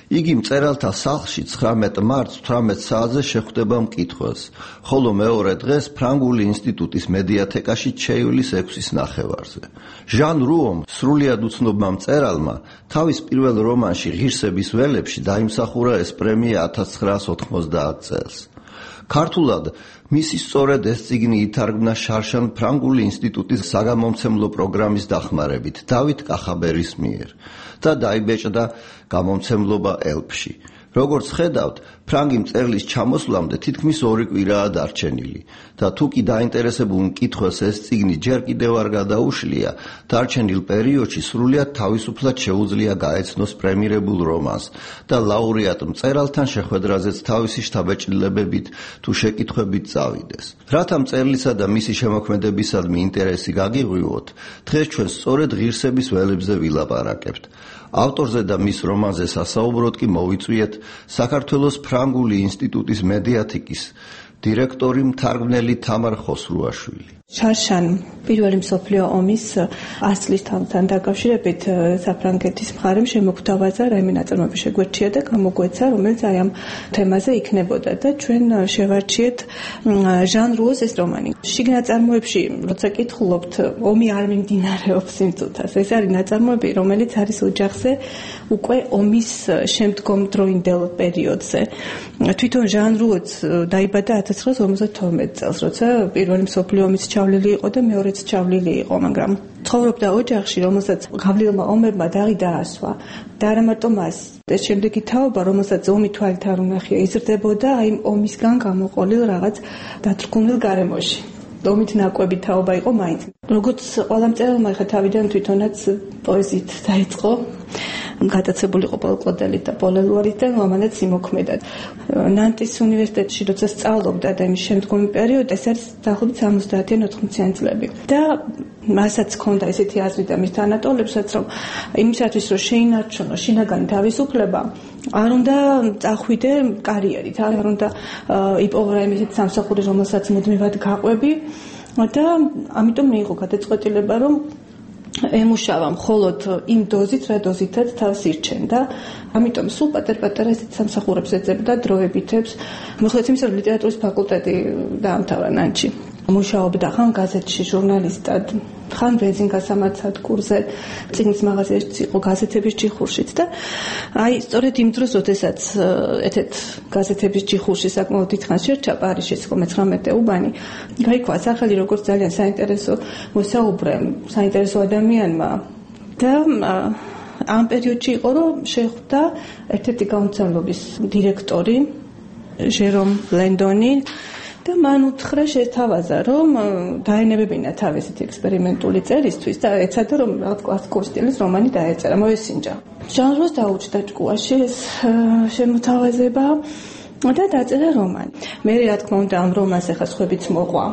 იგი მწერალთა სახლში ცხრამეტ მარტს თვრამეტ საათზე შეხვდება მკითხველს, ხოლო მეორე დღეს ფრანგული ინსტიტუტის მედიათეკაში ჩეივლის ექვსის ნახევარზე. ჟან რუომ, სრულიად უცნობმა მწერალმა, თავის პირველ რომანში ღირსების ველებში დაიმსახურა ეს პრემია ათას ცხრაას ოთხმოცდაათ წელს. ქართულად მისი სწორედ ეს წიგნი ითარგმნა შარშან ფრანგული ინსტიტუტის საგამომცემლო პროგრამის დახმარებით დავით კახაბერის მიერ და დაიბეჭდა გამომცემლობა ელფში. როგორც ხედავთ, ფრანგი მწერლის ჩამოსვლამდე თითქმის ორი კვირაა დარჩენილი და თუ კი დაინტერესებულ მკითხველს ეს წიგნი ჯერ კიდევ არ გადაუშლია, დარჩენილ პერიოდში სრულიად თავისუფლად შეუძლია გაეცნოს პრემირებულ რომანს და ლაურეატ მწერალთან შეხვედრაზეც თავისი შთაბეჭდილებებით თუ შეკითხვებით წავიდეს. რათა მწერლისა და მისი შემოქმედებისადმი ინტერესი გაგიღვივოთ, დღეს ჩვენ სწორედ ღირსების ველებზე ვილაპარაკებთ. ავტორზე და მის რომანზე სასაუბროდ კი მოვიწვიეთ საქართველოს ფრანგული ინსტიტუტის მედიათეკის დირექტორი მთარგმნელი თამარ ხოსრუაშვილი. შარშან პირველი მსოფლიო ომის ას წლისთან დაკავშირებით საფრანგეთის მხარემ შემოგვთავაზა რაიმე ნაწარმოები შეგვერჩია და გამოგვეცა, რომელიც აი ამ თემაზე იქნებოდა და ჩვენ შევარჩიეთ ჟან რუოს ეს რომანი. შიგ ნაწარმოებში, როცა კითხულობთ, ომი არ მიმდინარეობს იმ წუთას. ეს არის ნაწარმოები, რომელიც არის ოჯახზე უკვე ომის შემდგომ დროინდელ პერიოდზე. თვითონ ჟან რუოც დაიბადა ათას ცხრაას ორმოცდათორმეტ წელს, როცა პირველი მსოფლიო ომის ჩავლილი იყო და მეორეც ჩავლილი იყო, მაგრამ ცხოვრობდა ოჯახში, რომელსაც გავლილმა ომებმა დაღი დაასვა. და არა მარტო მას, ეს შემდეგი თაობა, რომელსაც ომი თვალით არ უნახია, იზრდებოდა აი ომისგან გამოყოლილ რაღაც დათრგუნილ გარემოში. ომით ნაკვები თაობა იყო მაინც. როგორც ყველა მწერალმა ხა თავიდან თვითონაც პოეზიით დაიწყო. გადაცებული იყო პოლკლოდელით და პოლელუარით და ამანაც იმოქმედად. ნანტის უნივერსიტეტში როცა სწავლობდა და იმის შემდგომი პერიოდი, ეს არის დაახლოებით სამოცდაათიან ოთხმოციანი წლები. და მასაც ჰქონდა ესეთი აზრი და მის თანატოლებსაც, რომ იმისათვის რომ შეინარჩუნო შინაგანი თავისუფლება, არ უნდა წახვიდე კარიერით, არ უნდა იპოვო რაიმე ისეთი სამსახური, რომელსაც მუდმივად გაყვები და ამიტომ მიიღო გადაწყვეტილება, რომ ემუშავა მხოლოდ იმ დოზით, რა დოზითაც თავს ირჩენდა. ამიტომ სულ პატარ-პატარა ესეთ სამსახურებს ეძებდა დროებითებს. მიუხედავად იმისა, რომ ლიტერატურის ფაკულტეტი დაამთავრა ნანჩი. მუშაობდა ხან გაზეთში ჟურნალისტად, ხან ბენზინგასამართ სადგურზე, წიგნის მაღაზიაში იყო გაზეთების ჯიხურშიც და აი სწორედ იმ დროს, როდესაც ეთეთ გაზეთების ჯიხურში საკმაოდ დიდხანს შერჩა პარიზშიც მეცხრამეტე უბანი, გაიქვა სახელი როგორც ძალიან საინტერესო მოსაუბრე, საინტერესო ადამიანმა და ამ პერიოდში იყო, რომ შეხვდა ერთ-ერთი გამომცემლობის დირექტორი ჟერომ ლენდონი და მან უთხრა შეთავაზა, რომ დაენებებინა თავისით ექსპერიმენტული წერისთვის და ეცადა, რომ რაღაც კლასიკური სტილის რომანი დაეწერა, მოესინჯა. ჟანროს დაუჭდა ჭკუაში ეს შემოთავაზება და დაწერა რომანი. მე რა თქმა უნდა ამ რომანს ახლა სხვებიც მოყვა.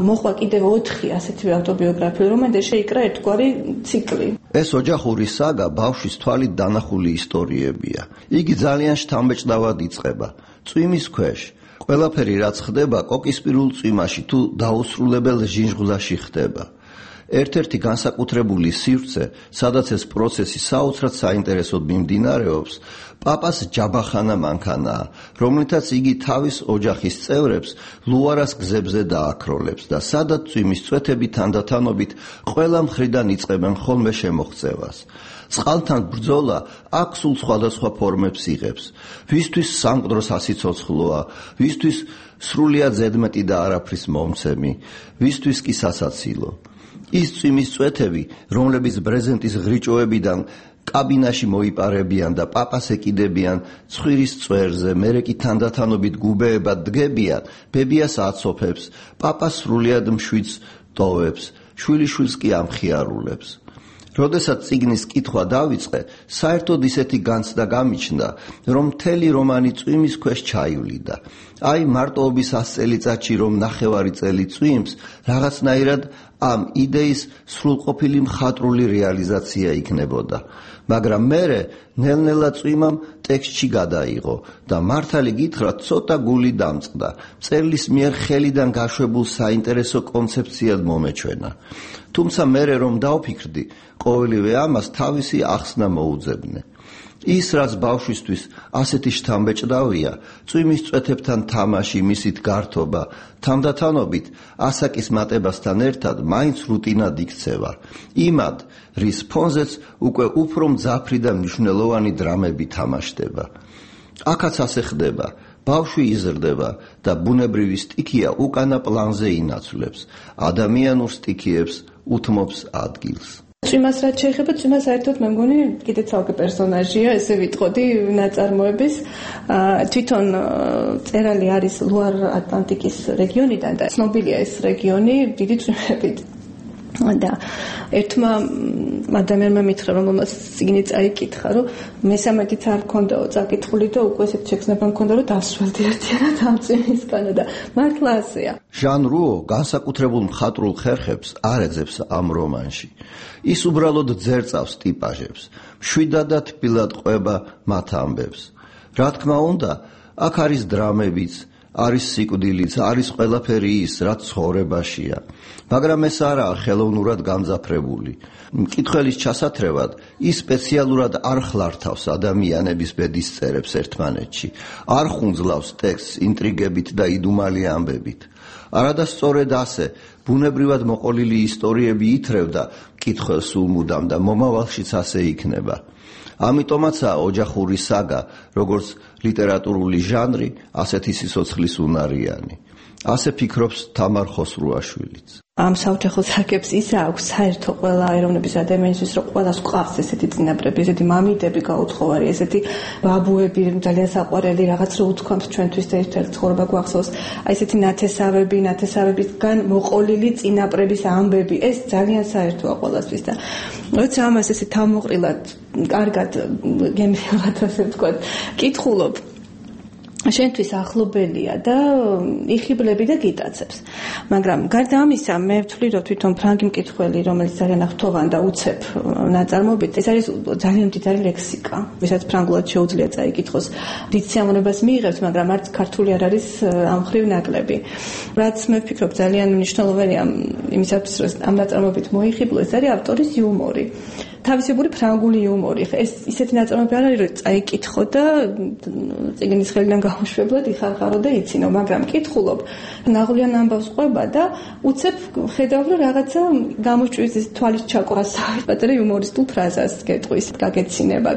მოყვა კიდევ ოთხი ასეთივე ავტობიოგრაფიული რომანი და შეიკრა ერთგვარი ციკლი. ეს ოჯახური საგა ბავშვის თვალით დანახული ისტორიებია. იგი ძალიან შთამბეჭდავად იწყება. წვიმის ქვეშ ყველაფერი რაც ხდება კოკისპირულ წვიმაში თუ დაუსრულებელ ჟინჟღლაში ხდება. ერთ-ერთი განსაკუთრებული სივრცე, სადაც ეს პროცესი საოცრად საინტერესოდ მიმდინარეობს, პაპას ჯაბახანა მანქანაა, რომლითაც იგი თავის ოჯახის წევრებს ლუარას გზებზე დააქროლებს და სადაც წვიმის წვეთები თანდათანობით ყველა მხრიდან იწყებენ ხოლმე შემოღწევას. წყალთან ბრძოლა აქ სულ სხვადასხვა ფორმებს იღებს. ვისთვის სამკვდრო სასიცოცხლოა, ვისთვის სრულიად ზედმეტი და არაფრის მომცემი, ვისთვის კი სასაცილო. ის წვიმის წვეთები, რომლებიც ბრეზენტის ღრიჭოებიდან კაბინაში მოიპარებიან და პაპას ეკიდებიან ცხვირის წვერზე, მერე კი თანდათანობით გუბეებად დგებიან, ბებიას აცოფებს, პაპას სრულიად მშვიდს ტოვებს, შვილიშვილს კი ამხიარულებს. როდესაც წიგნის კითხვა დავიწყე, საერთოდ ისეთი განცდა გამიჩნდა, რომ მთელი რომანი წვიმის ქვეშ ჩაივლიდა. აი მარტოობის ას წელიწადში რომ ნახევარი წელი წვიმს, რაღაცნაირად ამ იდეის სრულყოფილი მხატვრული რეალიზაცია იქნებოდა. მაგრამ მერე ნელ-ნელა წვიმამ ტექსტში გადაიღო და მართალი გითხრათ ცოტა გული დამწყდა. მწერლის მიერ ხელიდან გაშვებულ საინტერესო კონცეფციად მომეჩვენა. თუმცა მერე რომ დავფიქრდი, ყოველივე ამას თავისი ახსნა მოუძებნე. ის რაც ბავშვისთვის ასეთი შთამბეჭდავია, წვიმის წვეთებთან თამაში, მისით გართობა, თანდათანობით ასაკის მატებასთან ერთად მაინც რუტინად იქცევა. იმად, რის ფონზეც უკვე უფრო მძაფრი და მნიშვნელოვანი დრამები თამაშდება. აქაც ასე ხდება. ბავშვი იზრდება და ბუნებრივი სტიქია უკანა პლანზე ინაცვლებს. ადამიანურ სტიქიებს უთმობს ადგილს. წვიმას რაც შეეხება, წვიმა საერთოდ მე მგონი კიდე ცალკე პერსონაჟია, ესე ვიტყოდი ნაწარმოების. თვითონ წერალი არის ლუარ ატლანტიკის რეგიონიდან და ცნობილია ეს რეგიონი დიდი წვიმებით. და ერთმა ადამიანმა მითხრა, რომელმაც წიგნი წაიკითხა, რომ მესამედიც არ მქონდაო წაკითხული და უკვე ესეთ შექმნება მქონდა, რომ დასველდი ერთიანად ამ წვიმისგან და მართლა ასეა. ჟან რუო განსაკუთრებულ მხატვრულ ხერხებს არ ეძებს ამ რომანში. ის უბრალოდ ძერწავს ტიპაჟებს, მშვიდად და თბილად ყვება მათ ამბებს. რა თქმა უნდა, აქ არის დრამებიც, არის სიკვდილიც, არის ყველაფერი ის, რაც ცხოვრებაშია. მაგრამ ეს არაა ხელოვნურად გამძაფრებული. მკითხველის ჩასათრევად ის სპეციალურად არ ხლართავს ადამიანების ბედისწერებს ერთმანეთში, არ ხუნძლავს ტექსტს ინტრიგებით და იდუმალი ამბებით. არადასწორად ასე, ბუნებრივად მოყოლილი ისტორიები ითრევდა მკითხველს სულ მუდამ და მომავალშიც ასე იქნება. ამიტომაცაა ოჯახური საგა, როგორც ლიტერატურული ჟანრი, ასეთი სიცოცხლის უნარიანი. ასე ფიქრობს თამარ ხოსრუაშვილიც. ამ საოჯახო საგებს ის აქვს საერთო ყველა ეროვნების ადამიანისთვის, რომ ყველას ყავს ესეთი წინაპრები, ესეთი მამიდები გაუთხოვარი, ესეთი ბაბუები, ძალიან საყვარელი რაღაც რო უთქვამთ ჩვენთვის და ერთ-ერთ ცხოვრება გვახსოვს, აი ესეთი ნათესავები, ნათესავებისგან მოყოლილი წინაპრების ამბები, ეს ძალიან საერთოა ყველასთვის და როცა ამას ესე თავმოყრილად, კარგად გემრიელად ასე ვთქვათ, კითხულობ, შენთვის ახლობელია და იხიბლები და გიტაცებს. მაგრამ გარდა ამისა, მე ვთვლი, რომ თვითონ ფრანგი მკითხველი, რომელიც ძალიან ახლოვან და უცებ ნაწარმოებით, ეს არის ძალიან მდიდარი ლექსიკა, ვისაც ფრანგულად შეუძლია წაიკითხოს. დიდ სიამოვნებას მიიღებს, მაგრამ არც ქართული არ არის ამ ხრივ ნაკლები. რაც მე ვფიქრობ ძალიან მნიშვნელოვანია იმისათვის, რომ ამ ნაწარმოებით მოიხიბლო, ეს არის ავტორის იუმორი. თავისებური ფრანგული იუმორი. ეს ისეთი ნაწარმოები არ არის, რომ წაიკითხო და წიგნის ხელიდან გაუშვებლად იხარხარო და იცინო, მაგრამ კითხულობ, ნაღვლიან ამბავს ყვება და უცებ ხედავ, რომ რაღაცა გამოჭვის თვალის ჩაკვრას პატარა იუმორისტულ ფრაზას გეტყვის, გაგეცინება,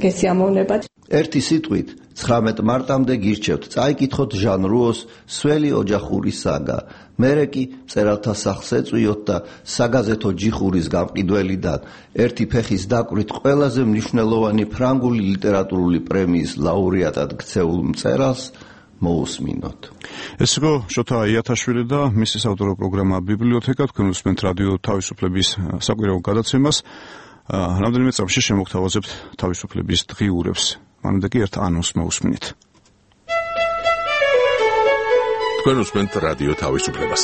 გესიამოვნება. ერთი სიტყვით ცხრამეტ მარტამდე გირჩევთ წაიკითხოთ ჟან რუოს სველი ოჯახური საგა. მერე კი მწერალთა სახლს ეწვიოთ და საგაზეთო ჯიხურის გამყიდველიდან ერთი ფეხის დაკვირით ყველაზე მნიშვნელოვანი ფრანგული ლიტერატურული პრემიის ლაურეატად ქცეულ მწერალს მოусმინოთ. ეს იყო შოთა იათაშვილი და მისი საავტორო პროგრამა ბიბლიოთეკა. თქვენ უსმენთ რადიო თავისუფლების საკვირაო გადაცემას. რამდენიმე წამში შემოგთავაზებთ თავისუფლების დღიურებს. მანამდე კი ერთ ანონს მოусმინეთ. თქვენ უსმენთ რადიო თავისუფლებას.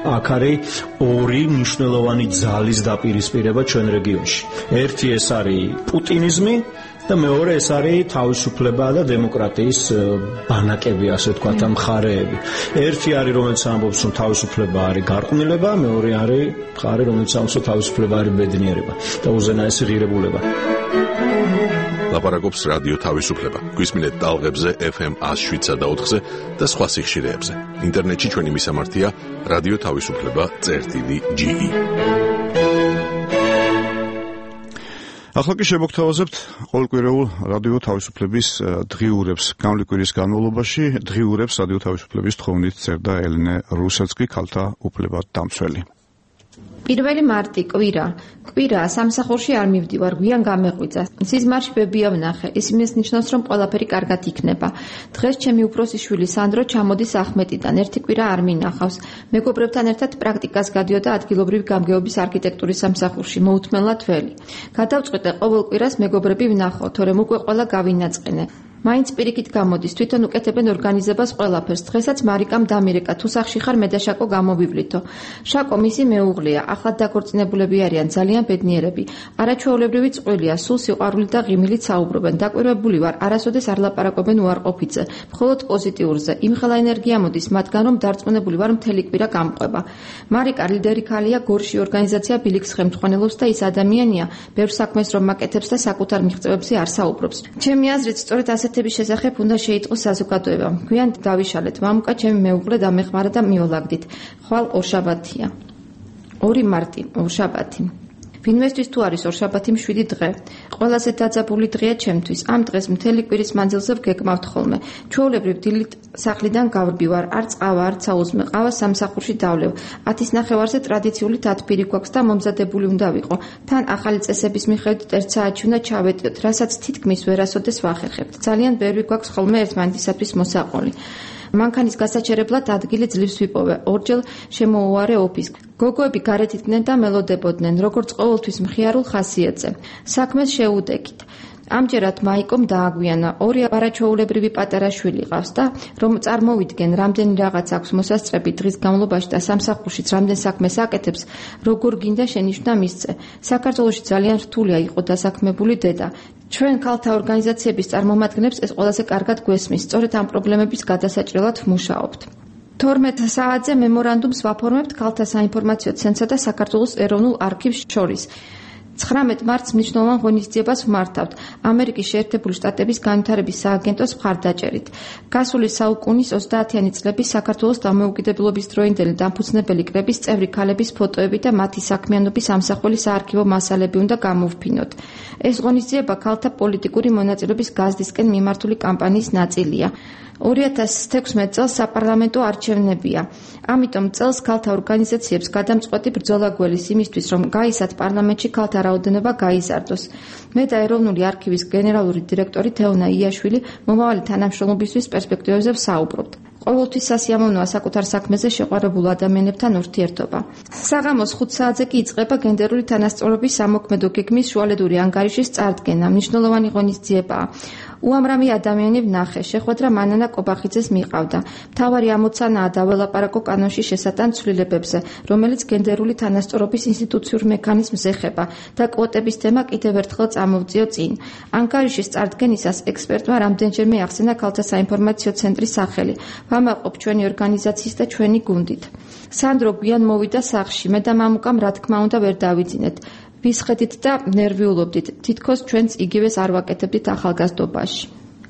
აქ არის ორი მნიშვნელოვანი ძალის დაპირისპირება ჩვენ რეგიონში. ერთი ეს არის პუტინიზმი და მეორე ეს არის თავისუფლება და დემოკრატიის ბანაკები, ასე ვთქვათ, მხარეები. ერთი არის, რომელიც ამბობს, რომ თავისუფლება არის გარყვნილება, მეორე არის მხარე, რომელიც ამბობს, რომ თავისუფლება არის ბედნიერება და უზენაესი ღირებულება. ლაპარაკობს რადიო თავისუფლება. გვისმინეთ ტალღებზე ეფ ემ ათს შვიდსა და ოთხზე და სხვა სიხშირეებზე. ინტერნეტში ჩვენი მისამართია რადიო თავისუფლება წერტილი ჯი ი. ახლა კი შემოგთავაზებთ ყოველკვირეულ რადიო თავისუფლების დღიურებს. გამლი კვირის განმავლობაში დღიურებს რადიო თავისუფლების თხოვნით წერდა ელენე რუსეცკი, ქალთა უფლებად დამცველი. პირველი მარტი კვირა. კვირა სამსახურში არ მივდივარ, გვიან გამეღვიძა. სიზმარში ბებია ვნახე. ის იმის ნიშნავს, რომ ყველაფერი კარგად იქნება. დღეს ჩემი უფროსი შვილი სანდრო ჩამოდის ახმეტიდან. ერთი კვირა არ მინახავს. მეგობრებთან ერთად პრაქტიკას გადიოდა ადგილობრივი გამგეობის არქიტექტურის სამსახურში, მოუთმენლად ველი. გადავწყვიტე ყოველ კვირას მეგობრები ვნახო, თორემ უკვე ყველა გავინაწყენე. მაინც პირიქით გამოდის, თვითონ უკეთებენ ორგანიზებას ყველაფერს. დღესაც მარიკამ დამირეკა, თუ სახში ხარ მე და შაკო გამოვივლითო. შაკო მისი მეუღლეა, ახლად დაქორწინებულები არიან, ძალიან ბედნიერები. არაჩვეულებრივი წყვილია, სულ სიყვარული და ღიმილით საუბრობენ. დაკვირვებული ვარ, არასოდეს არ ლაპარაკობენ უარყოფითზე, მხოლოდ პოზიტიურზე. იმხელა ენერგია მოდის მათგან, რომ დარწმუნებული ვარ მთელი კვირა გამყვება. მარიკა ლიდერი ქალია, გორში ორგანიზაცია ბილიქს ხელმძღვანელობს და ის ადამიანია, ბევრ საქმეს რომ მაკეთებს და საკუთარ მიღწევებზე არ საუბრობს. ჩემი აზრით, სწორედ ასეთების შესახებ უნდა შეიტყოს საზოგადოება. გვიან დავიშალეთ, მამუკა ჩემი მეუღლე დამეხმარა და მიოლაგდით. ხვალ ორშაბათია. ორი მარტი, ორშაბათი. ვინმესთვის თუ არის ორშაბათი მშვიდი დღე. ყველაზე დაძაბული დღეა ჩემთვის. ამ დღეს მთელი კვირის მანძილზე ვგეკმავთ ხოლმე. ჩვეულებრივ დილით სახლიდან გავრბივარ, არ წავა, არ საუზმე, ყავა სამსახურში დავლევ. ათის ნახევარზე ტრადიციული თათბირი გვაქვს და მომზადებული უნდა ვიყო. თან ახალი წესების მიხედვით ერთ საათში უნდა ჩავეტიოთ, რასაც თითქმის ვერასოდეს ვახერხებთ. ძალიან ბევრი გვაქვს ხოლმე ერთმანეთისათვის მოსაყოლი. მანქანის გასაჩერებლად ადგილი ძლივს ვიპოვე. ორჯერ შემოუვარე ოფისს. გოგოები გარეთ იდგნენ და მელოდებოდნენ, როგორც ყოველთვის მხიარულ ხასიათზე. საქმეს შეუდექით. ამჯერად მაიკომ დააგვიანა, ორი არაჩვეულებრივი პატარა შვილი ყავს და რომ წარმოვიდგენ, რამდენი რაღაც აქვს მოსასწრები დღის განმავლობაში და სამსახურშიც რამდენ საქმეს აკეთებს, როგორ გინდა შენიშვნა მისცე. საქართველოში ძალიან რთულია იყო დასაქმებული დედა. ჩვენ ქალთა ორგანიზაციების წარმომადგენლებს ეს ყველაზე კარგად გვესმის, სწორედ ამ პრობლემების გადასაჭრელად ვმუშაობთ. თორმეტ საათზე მემორანდუმს ვაფორმებთ ქალთა საინფორმაციო ცენტრსა და საქართველოს ეროვნულ არქივს შორის. ცხრამეტ მარტს მნიშვნელოვან ღონისძიებას ვმართავთ ამერიკის შეერთებული შტატების განვითარების სააგენტოს მხარდაჭერით. გასული საუკუნის ოცდაათიანი წლების საქართველოს დამოუკიდებლობის დროინდელი დამფუძნებელი კრების წევრი ქალების ფოტოები და მათი საქმიანობის ამსახველი საარქივო მასალები უნდა გამოვფინოთ. ეს ღონისძიება ქალთა პოლიტიკური მონაწილეობის გაზრდისკენ მიმართული კამპანიის ნაწილია. ორი ათას თექვსმეტ წელს საპარლამენტო არჩევნებია. ამიტომ წელს ქალთა ორგანიზაციებს გადამწყვეტი ბრძოლა გველის იმისთვის, რომ გაისად პარლამენტში ქალთა რაოდენობა გაიზარდოს. მე და ეროვნული არქივის გენერალური დირექტორი თეონა იაშვილი მომავალი თანამშრომლობისთვის პერსპექტივებზე ვსაუბრობთ. ყოველთვის სასიამოვნოა საკუთარ საქმეზე შეყვარებულ ადამიანებთან ურთიერთობა. საღამოს ხუთ საათზე კი იწყება გენდერული თანასწორობის სამოქმედო გეგმის შუალედური ანგარიშის წარდგენა. მნიშვნელოვანი ღონისძიებაა. უამრავი ადამიანი ვნახე, შეხვედრა მანანა კობახიძეს მიყავდა. მთავარი ამოცანაა დაველაპარაკო კანონში შესატან ცვლილებებზე, რომელიც გენდერული თანასწორობის ინსტიტუციურ მექანიზმს ეხება და კვოტების თემა კიდევ ერთხელ წამოვწიო წინ. ანგარიშის წარდგენისას ექსპერტმა რამდენჯერმე ახსენა ქალთა საინფორმაციო ცენტრის სახელი. ვამაყობ ჩვენი ორგანიზაციის და ჩვენი გუნდით. სანდრო გვიან მოვიდა სახლში, მე და მამუკამ რა თქმა უნდა ვერ დავიძინეთ. ვისხედით და ნერვიულობდით, თითქოს ჩვენც იგივეს არ ვაკეთებდით ახალგაზრდობაში.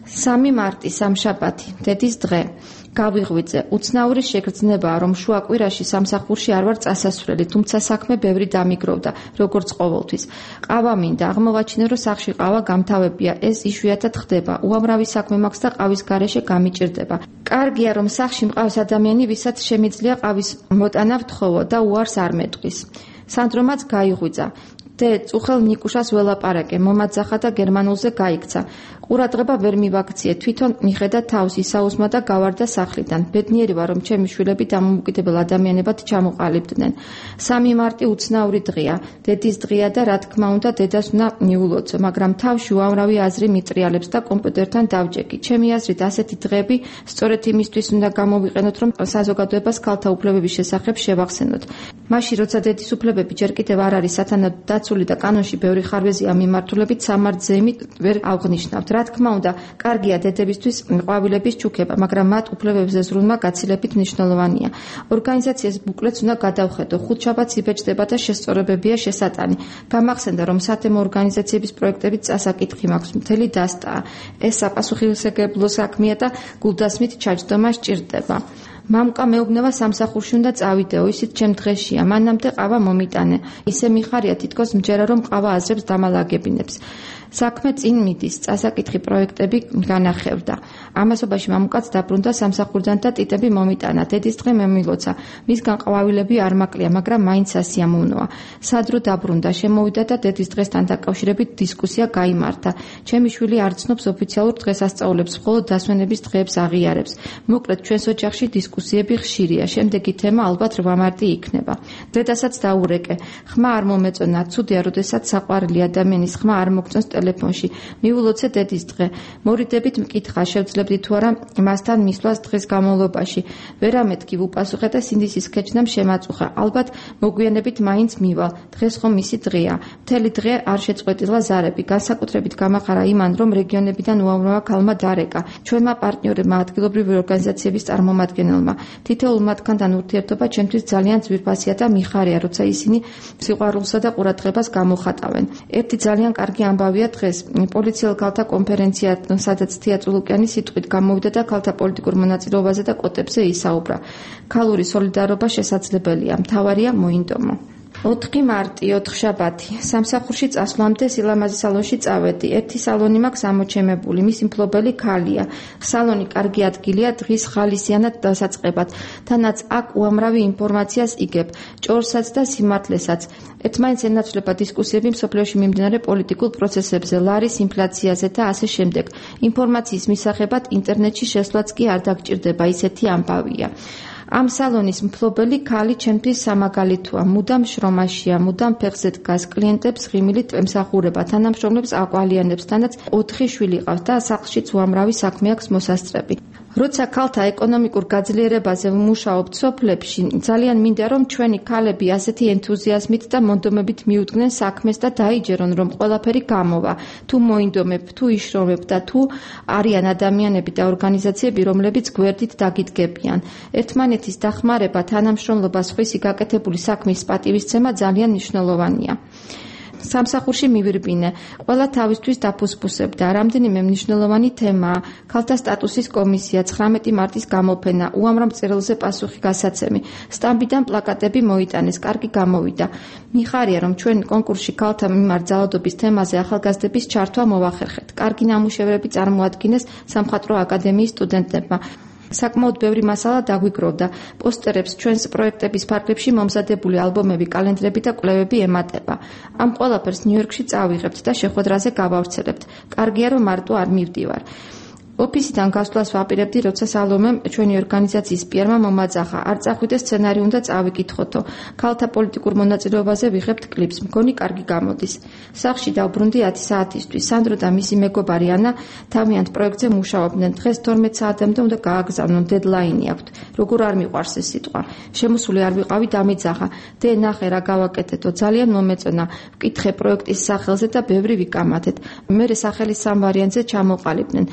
სამი მარტი, სამშაბათი, დედის დღე. გავიღვიძე, უცნაური შეგრძნებაა, რომ შუა კვირაში სამსახურში არ ვარ წასასვლელი, თუმცა საქმე ბევრი დამიგროვდა, როგორც ყოველთვის. ყავა მინდა, აღმოვაჩინე, რომ სახლში ყავა გამთავებია, ეს იშვიათად ხდება. უამრავი საქმე მაქვს და ყავის გარეშე გამიჭირდება. კარგია, რომ სახლში მყავს ადამიანი, ვისაც შემიძლია ყავის მოტანა ვთხოვო და უარს არ მეტყვის. სანდრომაც გაიღვიძა. დე წუხელ ნიკუშას ველაპარაკე, მომაძახა და გერმანულზე გაიქცა. ყურადღება ვერ მივაქციე, თვითონ მიხედა თავს ისაუსმა და გავარდა სახლიდან. ბედნიერი ვარ, რომ ჩემი შვილები დამოუკიდებელ ადამიანებად ჩამოყალიბდნენ. სამი მარტი უცნაური დღეა, დედის დღეა და რა თქმა უნდა დედას უნდა მიულოცო, მაგრამ თავში უამრავი აზრი მიტრიალებს და კომპიუტერთან დავჯექი. ჩემი აზრით ასეთი დღეები სწორედ იმისთვის უნდა გამოვიყენოთ, რომ საზოგადოებას ქალთა უფლებების შესახებ შევახსენოთ. მაშინ, როცა დედის უფლებები ჯერ კიდევ არ არის სათანადო დაცული და კანონში ბევრი ხარვეზია მიმართულებით, სამართზეიმით ვერ აღნიშნავთ. რა თქმა უნდა, კარგია დედებისთვის ყვავილების ჩუქება, მაგრამ მათ უფლებებზე ზრუნვა გაცილებით მნიშვნელოვანია. ორგანიზაციას ბუკლეტს უნდა გადავხედო, ხუთშაბათს იბეჭდება და შესწორებებია შესატანი. გამახსენდა, რომ სათემო ორგანიზაციების პროექტებით წასაკითხი მაქვს, მთელი დასტაა. ეს საპასუხისმგებლო საქმეა და გულდასმით ჩაჯდომა სჭირდება. მამკა მეუბნება სამსახურში უნდა წავიდეო, ისიც ჩემ დღეშია, მანამდე ყავა მომიტანე. ისე მიხარია თითქოს მჯერა, რომ ყავა აზრებს დამალაგებინებს. საქმე წინ მიდის, წასაკითხი პროექტები განახევდა. ამასობაში მამუკაც დაბრუნდა სამსახურიდან და ტიტები მომიტანა. დედის დღე მომილოცა. მისგან ყვავილები არ მაკლია, მაგრამ მაინც სასიამოვნოა. სადრო დაბრუნდა, შემოვიდა და დედის დღესთან დაკავშირებით დისკუსია გაიმართა. ჩემი შვილი არ ცნობს ოფიციალურ დღესასწაულებს, მხოლოდ დასვენების დღეებს აღიარებს. მოკლედ ჩვენს ოჯახში დისკუსიები ხშირია. შემდეგი თემა ალბათ რვა მარტი იქნება. დედასაც დაურეკე. ხმა არ მომეწონა, ცუდია, როდესაც საყვარელი ადამიანის ხმა არ მოგწონს ტელეფონში. მიულოცე დედის დღე. მორიდებით მკითხა, შევძლებდი თუ არა მასთან მისვლას დღეს განმავლობაში. ვერამეთქი ვუპასუხე და სინდისის ქეჩნამ შემაწუხა. ალბათ მოგვიანებით მაინც მივალ. დღეს ხომ მისი დღეა. მთელი დღე არ შეწყვეტილა ზარები. განსაკუთრებით გამახარა იმან, რომ რეგიონებიდან უამრავმა ქალმა დარეკა. ჩვენმა პარტნიორებმა ადგილობრივი ორგანიზაციების წარმომადგენელმა. თითოეულ მათგანთან ურთიერთობა ჩემთვის ძალიან ძვირფასია და მიხარია, როცა ისინი სიყვარულსა და ყურადღებას გამოხატავენ. ერთი ძალიან კარგი ამბავია დღეს პოლიციელ ქალთა კონფერენცია, სადაც თია წულუკიანი სიტყვით გამოვიდა და ქალთა პოლიტიკურ მონაწილეობაზე და კვოტებზე ისაუბრა. ქალური სოლიდარობა შესაძლებელია, მთავარია მოინდომო. ოთხი მარტი, ოთხშაბათი. სამსახურში წასვლამდე სილამაზის სალონში წავედი. ერთი სალონი მაქვს ამოჩემებული, მისი მფლობელი ქალია. სალონი კარგი ადგილია დღის ხალისიანად დასაწყებად. თანაც აქ უამრავი ინფორმაციას იგებ, ჭორსაც და სიმართლესაც. ერთმანეთს ენაცვლება დისკუსიები მსოფლიოში მიმდინარე პოლიტიკურ პროცესებზე, ლარის ინფლაციაზე და ასე შემდეგ. ინფორმაციის მისაღებად ინტერნეტში შესვლაც კი არ დაგჭირდება, ისეთი ამბავია. ამ სალონის მფლობელი ქალი ჩემთვის სამაგალითოა, მუდამ შრომაშია, მუდამ ფეხზე დგას, კლიენტებს ღიმილით ემსახურება, თანამშრომლებს აყვალიანებს, თანაც ოთხი შვილი ყავს და სახლშიც უამრავი საქმე აქვს მოსასწრები. როცა ქალთა ეკონომიკურ გაძლიერებაზე ვმუშაობ სოფლებში, ძალიან მინდა რომ ჩვენი ქალები ასეთი ენთუზიაზმით და მონდომებით მიუდგნენ საქმეს და დაიჯერონ რომ ყველაფერი გამოვა. თუ მოინდომებ, თუ იშრომებ და თუ არიან ადამიანები და ორგანიზაციები, რომლებიც გვერდით დაგიდგებიან. ერთმანეთის დახმარება, თანამშრომლობა, სხვისი გაკეთებული საქმის პატივისცემა ძალიან მნიშვნელოვანია. სამსახურში მივირბინე. ყველა თავისთვის დაფუსფუსებდა. რამდენიმე მნიშვნელოვანი თემაა. ქალთა სტატუსის კომისია, ცხრამეტი მარტის გამოფენა, უამრავ წერილზე პასუხი გასაცემი. სტამბიდან პლაკატები მოიტანეს, კარგი გამოვიდა. მიხარია, რომ ჩვენ კონკურსში ქალთა მიმართ ძალადობის თემაზე ახალგაზრდების ჩართვა მოვახერხეთ. კარგი ნამუშევრები წარმოადგინეს სამხატვრო აკადემიის სტუდენტებმა. საკმაოდ ბევრი მასალა დაგვიგროვდა. პოსტერებს, ჩვენს პროექტების ფარგლებში მომზადებული ალბომები, კალენდრები და კვლევები ემატება. ამ ყველაფერს ნიუ-იორკში წავიღებთ და შეხვედრაზე გავავრცელებთ. კარგია, რომ მარტო არ მივდივარ. ოფისიდან გასვლას ვაპირებდი, როცა სალომემ ჩვენი ორგანიზაციის პიარმა მომაძახა. არ წახვიდე სცენარი უნდა წავიკითხოთო. ქალთა პოლიტიკურ მონაწილეობაზე ვიღებთ კლიპს. მგონი კარგი გამოდის. სახლში დავბრუნდი ათი საათისთვის. სანდრო და მისი მეგობარი ანა თავიანთ პროექტზე მუშაობდნენ. დღეს თორმეტ საათამდე უნდა გააგზავნონ, დედლაინი აქვთ. როგორ არ მიყვარს ეს სიტყვა. შემოსული არ ვიყავი, დამიძახა. დე ნახე რა გავაკეთეთო, ძალიან მომეწონა. ვკითხე პროექტის სახელზე და ბევრი ვიკამათეთ. მერე სახელის სამ ვარიანტზე ჩამოყალიბდნენ.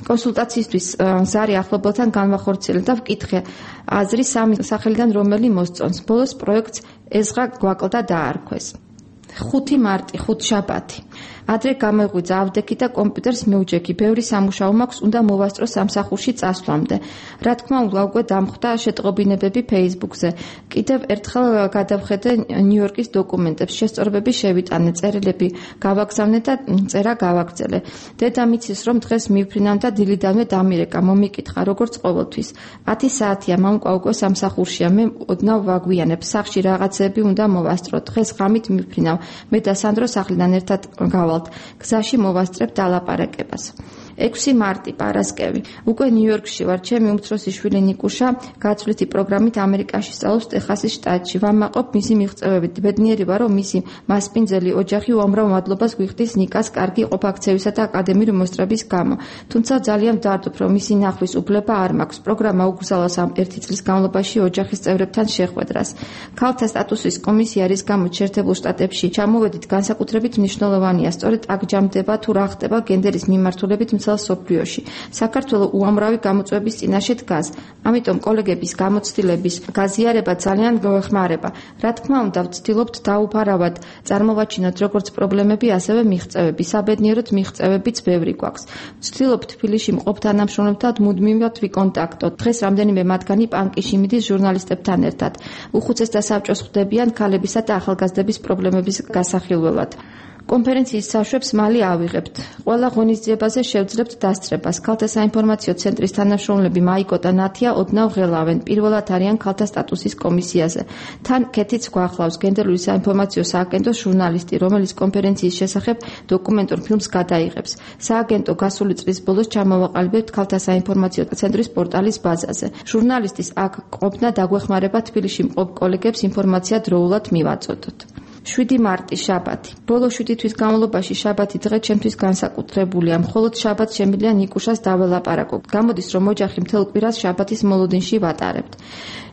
კონსულტაციისთვის ზარი ახლობელთან განვახორციელე და ვკითხე აზრი სამი სახელიდან რომელი მოსწონს. ბოლოს პროექტს ეზღა გვაკლდა დაარქვეს. ხუთი მარტი, ხუთშაბათი. ადრე გამოიღვიძა ავდექი და კომპიუტერს მეუჯექი. ბევრი სამუშაო მაქვს, უნდა მოვასწრო სამსახურში წასვლამდე. რა თქმა უნდა, უკვე დამხვდა შეტყობინებები Facebook-ზე. კიდევ ერთხელ გადავხედე ნიუ-იორკის დოკუმენტებს, შესწორებები შევიტანე, წერილები გავაგზავნე და წერა გავაგრძელე. დედამიცის რომ დღეს მივფრინავ და დილიდანვე დამირეკა, მომიკითხა, როგორც ყოველთვის. ათი საათია, მამკვა უკვე სამსახურშია, მე ოდნავ ვაგვიანებ, სახლში რაღაცები უნდა მოვასწრო. დღეს ღამით მივფრინავ, მე და სანდრო სახლიდან ერთად გავალთ. გზაში მოვასწრებ დალაპარაკებას. ექვსი მარტი, პარასკევი. უკვე ნიუ-იორკში ვარ, ჩემი უმცროსი შვილი ნიკუშა გაცვლითი პროგრამით ამერიკაში სწავლობს ტეხასის შტატში. ვამაყობ მისი მიღწევებით. ბედნიერი ვარ, რომ მისი მასპინძელი ოჯახი უამრავ მადლობას გვიხდის ნიკას კარგი ყოფაქცევისა და აკადემიური მოსწრების გამო. თუმცა ძალიან ვდარდობ, რომ მისი ნახვის უფლება არ მაქვს. პროგრამა უგზავნოს ამ ერთი წლის განმავლობაში ოჯახის წევრებთან შეხვედრას. ქალთა სტატუსის კომისია რის გამოც შეერთებულ შტატებში ჩამოვედით, განსაკუთრებით მნიშვნელოვანია. სწორედ აქ ჯამდება თუ რა ხდება გენდერის მიმართულებით მთელ სოფლიოში. საქართველო უამრავი გამოწვევის წინაშე დგას. ამიტომ კოლეგების გამოცდილების გაზიარება ძალიან გვეხმარება. რა თქმა უნდა, ვცდილობთ დაუფარავად წარმოვაჩინოთ როგორც პრობლემები, ასევე მიღწევები. საბედნიეროდ მიღწევებიც ბევრი გვაქვს. ვცდილობთ თბილისში მყოფ თანამშრომლებთან მუდმივად ვიკონტაქტოთ. დღეს რამდენიმე მათგანი პანკიში მიდის ჟურნალისტებთან ერთად. უხუცესთა საბჭოს ხვდებიან ქალებისა და ახალგაზრდების პრობლემების გასახილველად. კონფერენციის საშვებს მალე ავიღებთ. ყველა ღონისძიებაზე შევძლებთ დასწრებას. ქალთა საინფორმაციო ცენტრის თანამშრომლები მაიკო და ნათია ოდნავ ღელავენ. პირველად არიან ქალთა სტატუსის კომისიაზე. თან კეთიც გვახლავს გენდერული საინფორმაციო სააგენტოს ჟურნალისტი, რომელიც კონფერენციის შესახებ დოკუმენტურ ფილმს გადაიღებს. სააგენტო გასული წლის ბოლოს ჩამოვაყალიბებთ ქალთა საინფორმაციო ცენტრის პორტალის ბაზაზე. ჟურნალისტის აქ ყოფნა დაგვეხმარება თბილისში მყოფ კოლეგებს ინფორმაცია დროულად მივაწოდოთ. შვიდი მარტი, შაბათი. ბოლო შვიდი თვის განმავლობაში შაბათი დღე ჩემთვის განსაკუთრებულია. მხოლოდ შაბათს შემიძლია ნიკუშას დაველაპარაკო. გამოდის, რომ ოჯახი მთელ კვირას შაბათის მოლოდინში ვატარებთ.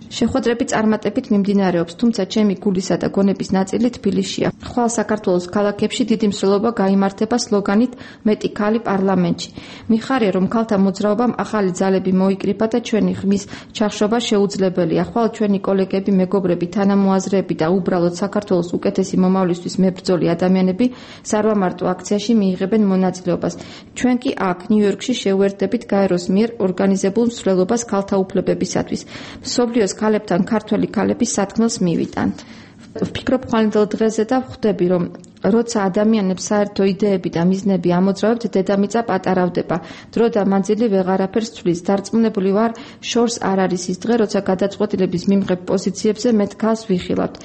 შეხვედრები წარმატებით მიმდინარეობს, თუმცა ჩემი გულისა და გონების ნაწილი თბილისშია. ხვალ საქართველოს ქალაქებში დიდი მსვლელობა გაიმართება სლოგანით მეტი ქალი პარლამენტში. მიხარია, რომ ქალთა მოძრაობამ ახალი ძალები მოიკრიფა და ჩვენი ხმის ჩახშობა შეუძლებელია. ხვალ ჩვენი კოლეგები, მეგობრები, თანამოაზრეები და უბრალოდ საქართველოს უკეთესი მომავლისთვის მებრძოლი ადამიანები სარვამარტო აქციაში მიიღებენ მონაწილეობას. ჩვენ კი აქ ნიუ-იორკში შევერთდებით გაეროს მიერ ორგანიზებულ მსვლელობას ქალთა უფლებებისათვის. მსოფლიოს ქალებთან ქართველი ქალების სათქმელს მივიტანთ. ვფიქრობ ხვალინდელ დღეზე და ვხვდები, რომ როცა ადამიანებს საერთო იდეები და მიზნები ამოძრავებთ, დედამიწა პატარავდება. დრო და მანძილი ვეღარაფერს ცვლის. დარწმუნებული ვარ, შორს არ არის ის დღე, როცა გადაწყვეტილების მიმღებ პოზიციებზე მეტ ქალს ვიხილავთ.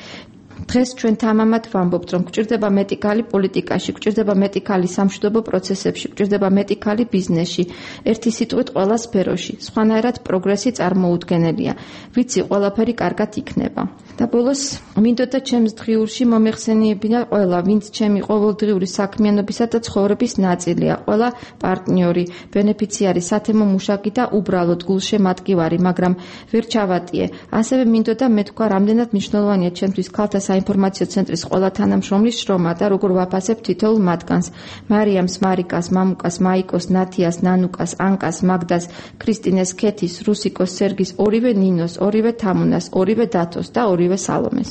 დღეს ჩვენ თამამად ვამბობთ, რომ გვჭირდება მეტი ქალი პოლიტიკაში, გვჭირდება მეტი ქალი სამშვიდობო პროცესებში, გვჭირდება მეტი ქალი ბიზნესში, ერთი სიტყვით ყველა სფეროში. სხვანაირად პროგრესი წარმოუდგენელია. ვიცი, ყველაფერი კარგად იქნება. და ბოლოს მინდოდა ჩემს დღიურში მომეხსენიებინა ყველა, ვინც ჩემი ყოველდღიური საქმიანობისა და ცხოვრების ნაწილია, ყველა პარტნიორი, ბენეფიციარი, სათემო მუშაკი და უბრალოდ გულშემატკივარი, მაგრამ ვერ ჩავატიე. ასევე მინდოდა მეთქვა, რამდენად მნიშვნელოვანია ჩემთვის ქალთა საინფორმაციო ცენტრის ყველა თანამშრომლის შრომა და როგორ ვაფასებ თითოეულ მათგანს. მარიამს, მარიკას, მამუკას, მაიკოს, ნათიას, ნანუკას, ანკას, მაგდას, ქრისტინეს, ქეთის, რუსიკოს, სერგის, ორივე ნინოს, ორივე თამუნას, ორივე დათოს და ორივე სალომეს.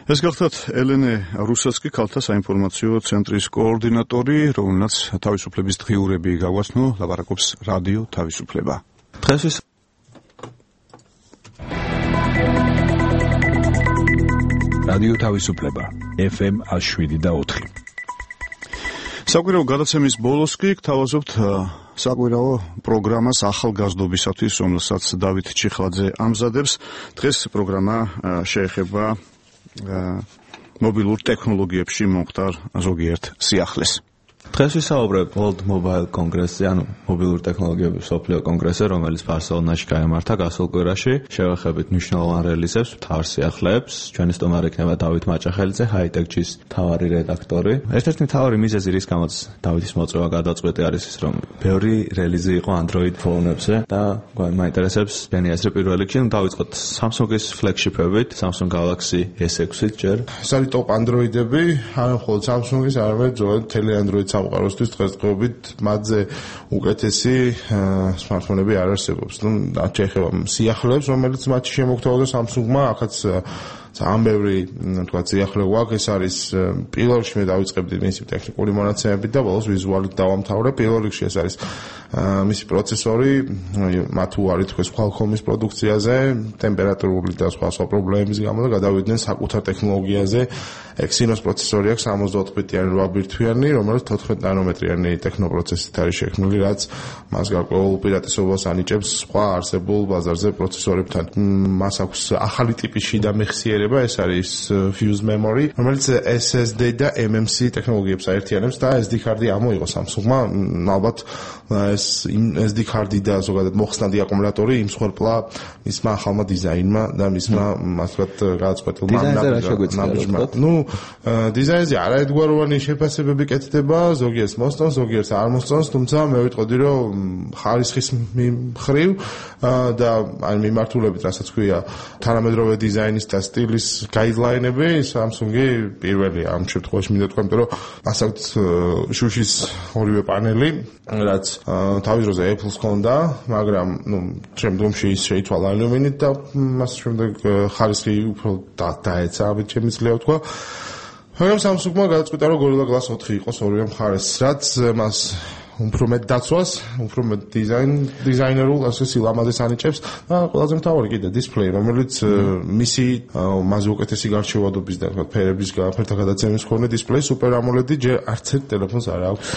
ეს გახლავთ ელენე რუსაცკი, ქალთა საინფორმაციო ცენტრის კოორდინატორი, რომელსაც თავისუფლების დღიურები გაგვაცნო, ლაპარაკობს რადიო თავისუფლება. დღესის რადიო თავისუფლება ეფ ემ შვიდ და ოთხი. საკვირაო გადაცემის ბოლოს კი გთავაზობთ საკვირაო პროგრამას ახალგაზრდობისათვის, რომელსაც დავით ჩიხლაძე ამზადებს. დღეს პროგრამა შეეხება მობილურ ტექნოლოგიებში მომხდარ ზოგიერთ სიახლეს. დღეს ვისაუბრებ World Mobile Congress-ზე, ანუ მობილური ტექნოლოგიების მსოფლიო კონგრესზე, რომელიც ბარსელონაში გაიმართა გასულ კვირაში. შევეხებით მნიშვნელოვან რელიზებს, მთავარ სიახლეებს. ჩვენი სტუმარი იქნება დავით მაჭახელიძე, High-Tech-ის მთავარი რედაქტორი. ერთ-ერთი მთავარი მიზეზი, რის გამოც დავითის მოწვევა გადაწყვეტი არის ის, რომ ბევრი რელიზი იყო Android ფონებზე და მაინტერესებს ჩვენი აზრი პირველ რიგში. დავიწყოთ Samsung-ის ფლეგშიპებით, Samsung Galaxy ეს ექვსი ჯერ. ეს არის ტოპ Android-ები, არა მხოლოდ Samsung-ის, არამედ ზოგადად მთელი Android სამყაროსთვის დღესდღეობით მათზე უკეთესი smartphone-ები არ არსებობს. ნუ შეეხება სიახლეებს, რომელიც მათში შემოგთავაზა Samsung-მა, ახაც ძალიან ბევრი თქვა ძიახლე გვაქვს. ეს არის პირველ რიგში მე დავიწყებდი მისი ტექნიკური მონაცემებით და ბოლოს ვიზუალით დავამთავრე. პირველ რიგში ეს არის მისი პროცესორი, მათ უარი თქვეს Qualcomm-ის პროდუქციაზე, ტემპერატურული და სხვა სხვა პრობლემების გამო და გადავიდნენ საკუთარ ტექნოლოგიაზე. Exynos პროცესორი აქვს სამოცდაოთხ-ბიტიანი რვა ბირთვიანი, რომელიც თოთხმეტ ნანომეტრიანი ტექნოპროცესით არის შექმნილი, რაც მას გარკვეულ უპირატესობას ანიჭებს სხვა არსებულ ბაზარზე პროცესორებთან. მას აქვს ახალი ტიპის შიდა მეხსიერება, ეს არის Fuse Memory, რომელიც S S D და M M C ტექნოლოგიებს აერთიანებს და S D card-ი ამოიღო Samsung-მა, ალბათ ეს S D card-ი და ზოგადად მოხსნადი აკუმულატორი იმსხვერპლა მისმა ახალმა დიზაინმა და მისმა მასწრაფად გადაწყვეტილმა ნაბიჯმა. ნუ დიზაინზე არაერთგვაროვანი შეფასებები კეთდება, ზოგიერთს მოსწონს, ზოგიერთს არ მოსწონს, თუმცა მე ვიტყოდი, რომ ხარისხის მხრივ და აი მიმართულებით, რასაც ქვია, თანამედროვე დიზაინის და სტილის გაიდლაინები, Samsung-ი პირველია ამ შემთხვევაში მინდა თქვა, რომ მას აქვს შუშის ორივე პანელი, რაც თავის დროზე Apple-ს ჰქონდა, მაგრამ ნუ შემდგომში ის შეიცვალა ალუმინით და მას შემდეგ ხარისხი უფრო დაეცა, ამით შემიძლია ვთქვა. მაგრამ Samsung-მა გადაწყვიტა, რომ Gorilla Glass ოთხი იყოს ორივე მხარეს, რაც მას უფრო მეტ დაცვას, უფრო მეტ დიზაინ, დიზაინერულ ასე სილამაზეს ანიჭებს და ყველაზე მთავარი კიდე დისპლეი, რომელიც მისი მასზე უკეთესი გარჩევადობის და თქვა ფერების ფერთა გადაცემის მქონე დისპლეი Super AMOLED-ი ჯერ არც ერთ ტელეფონს არ აქვს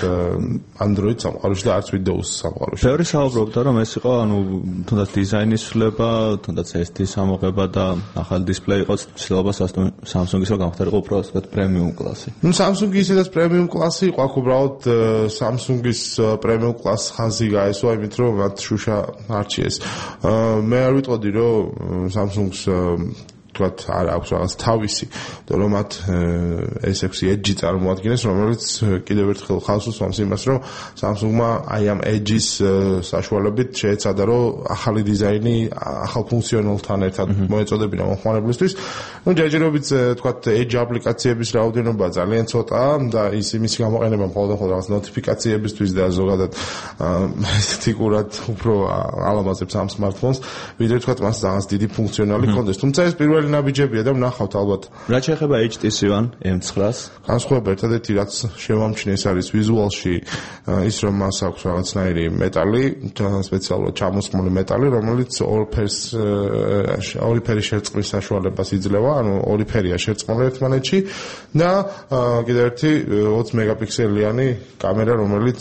Android სამყაროში და არც Windows სამყაროში. ბევრი საუბრობდა, რომ ეს იყო, ანუ თუნდაც დიზაინის ცვლილება, თუნდაც ეს დი სამოღება და ახალი დისპლეი იყოს, ცდილობა Samsung-ისო გამხდარიყო უფრო ასე პრემიუმ კლასი. ნუ Samsung-ი ისედაც პრემიუმ კლასი იყო, აქ უბრალოდ Samsung-ის პრემიუმ კლას ხაზი გაესვა, იმით რომ მათ შუშა არჩიეს. მე არ ვიტყოდი, რომ Samsung-ს თქვათ არ აქვს რაღაც თავისი, და რომ მათ S six Edge წარმოადგენს, რომელიც კიდევ ერთხელ ხალხს უსვამს იმას, რომ Samsung-მა აი ამ Edge-ის საშუალებით შეეცადა, რომ ახალი დიზაინი ახალ ფუნქციონალთან ერთად მოეწოდებინა მომხმარებლისთვის. ნუ ჯერჯერობით თქვათ Edge აპლიკაციების რაოდენობა ძალიან ცოტაა და ის იმის გამოყენება მხოლოდ რაღაც ნოტიფიკაციებისთვის და ზოგადად ეთიკურად უფრო ალამაზებს ამ smartphones, ვიდრე თქვათ მას რაღაც დიდი ფუნქციონალი ჰქონდეს. თუმცა ეს პირველი ნაბიჯებია და ვნახავთ ალბათ. რა შეეხება H T C One M nine-ს? განსხვავება ერთადერთი რაც შევამჩნიეს არის ვიზუალში ის რომ მას აქვს რაღაცნაირი მეტალი, სპეციალურად ჩამოსხმული მეტალი, რომელიც ორ ფერს ორი ფერის შერწყმის საშუალებას იძლევა, ანუ ორი ფერია შერწყმული ერთმანეთში და კიდევ ერთი ოცი მეგაპიქსელიანი კამერა, რომელიც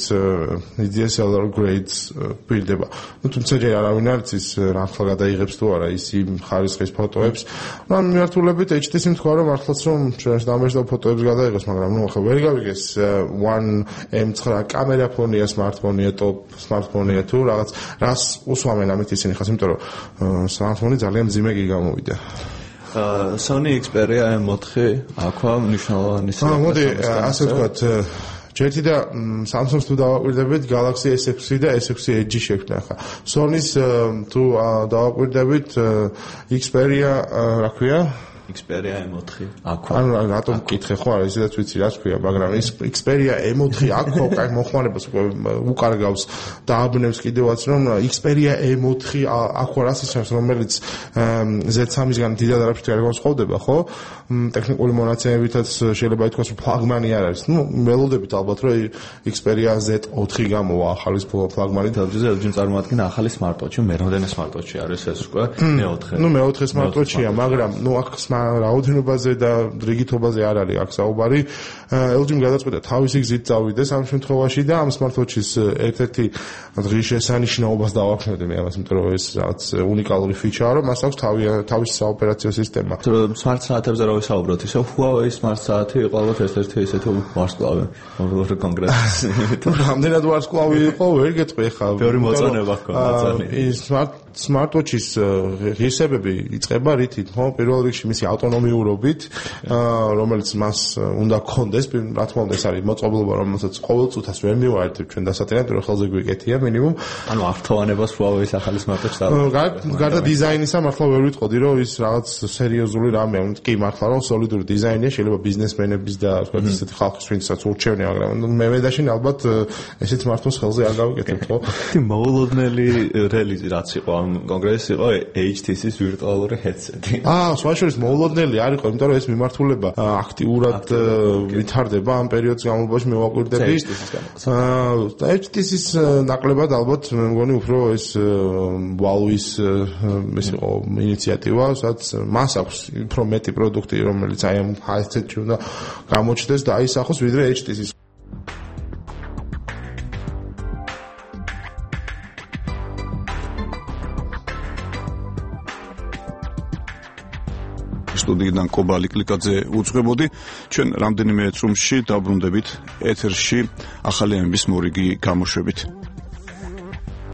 D S L R grades პირდება. ნუ თუმცა ჯერ არავინ არ იცის რა ახლა გადაიღებს თუ არა ის იმ ხარისხის ფოტოებს. ნუ ამ მიმართულებით H T C-მ თქვა რომ მართლაც რომ ჩვენს დამეჟდა ფოტოებს გადაიღოს, მაგრამ ნუ ახლა ვერ გავიგეს One M nine კამერა ფონია, smartphone-ია, top smartphone-ია თუ რაღაც რას უსვამენ ამით ისინი ხას, იმიტომ რომ smartphone-ი ძალიან მძიმე კი გამოვიდა. Sony Xperia M four აქვე მნიშვნელოვანი სიახლე. აა მოდი ასე ვთქვათ, ჯერთი და Samsung-ს თუ დავაკვირდებით Galaxy S six და S six Edge შექმნა ხა. Sony-ს თუ დავაკვირდებით Xperia, რა ქვია? Xperia M four აქვე. ანუ რატომ მკითხე ხო, არა ისედაც ვიცი რაც ქვია, მაგრამ ის Xperia M four აქვე, კაი მოხმარებას უკარგავს და აბნევს კიდევაც რომ Xperia M four აქვე რას ისმის, რომელიც Z three-ისგან დიდად არაფრით არ განსხვავდება, ხო? ტექნიკური მონაცემებითაც შეიძლება ითქვას რომ ფლაგმანი არ არის. ნუ ველოდებით ალბათ რომ Xperia Z four გამოვა ახალი ფლაგმანი თავზე L G წარმოადგენს ახალი smartwatch-ი, მეროდენე smartwatch-ი არის ეს უკვე M four. ნუ M four smartwatch-ია, მაგრამ ნუ აქ რაოდენობაზე და რიგითობაზე არ არის აქ საუბარი. L G-მ გადაწყვიტა თავისი გზით წავიდეს ამ შემთხვევაში და ამ smartwatch-ის ერთ-ერთი დღის შესანიშნაობას დავაქვემდე მე ამას, იმიტომ რომ ეს რაღაც უნიკალური ფიჩაა, რომ მას აქვს თავისი საოპერაციო სისტემა. Smart საათებზე რა ვისაუბროთ, ისე Huawei smart საათი იყო ალბათ ერთ-ერთი ესეთი ვარსკვლავი მობილური კონგრესის. რამდენად ვარსკვლავი იყო, ვერ გეტყვი ხა. ბევრი მოწონება ჰქონდა ძალიან. ის smart smartwatch-ის ღირსებები იწყება რითით, ხო? პირველ რიგში მისი ავტონომიურობით, რომელიც მას უნდა გქონდეს, რა თქმა უნდა ეს არის მოწყობილობა, რომელსაც ყოველ წუთას ვერ მივაერთებ ჩვენ დასატენად, რომ ხელზე გვიკეთია მინიმუმ. ანუ ართოვანებას Huawei-ის ახალი smartwatch დავაყენე. გარდა დიზაინისა მართლა ვერ ვიტყოდი, რომ ის რაღაც სერიოზული რამეა. კი მართლა რომ სოლიდური დიზაინია, შეიძლება ბიზნესმენების და თქვა ისეთი ხალხის ვინცაც ურჩევნია, მაგრამ მე მედაშინ ალბათ ესეთ smartphones ხელზე არ გავიკეთებ, ხო? მოულოდნელი რელიზი რაც იყო ამ კონგრესში იყო H T C-ის ვირტუალური headset-ი. აა, სხვა შორის მოულოდნელი არ იყო, იმიტომ რომ ეს მიმართულება აქტიურად ვითარდება ამ პერიოდის განმავლობაში მე ვაკვირდები. და ეიჩ ტი სი-ის ნაკლებად ალბათ მე მგონი უფრო ეს ვალვის ეს იყო ინიციატივა, სადაც მას აქვს უფრო მეტი პროდუქტი, რომელიც აი ამ ჰაი-თეთრში უნდა გამოჩნდეს და აისახოს ვიდრე ეიჩ ტი სი-ის. სტუდიიდან კობალი კლიკაძე უძღვებოდი. ჩვენ რამდენიმე წრუმში დაბრუნდებით ეთერში ახალი ამბის მორიგი გამოშვებით.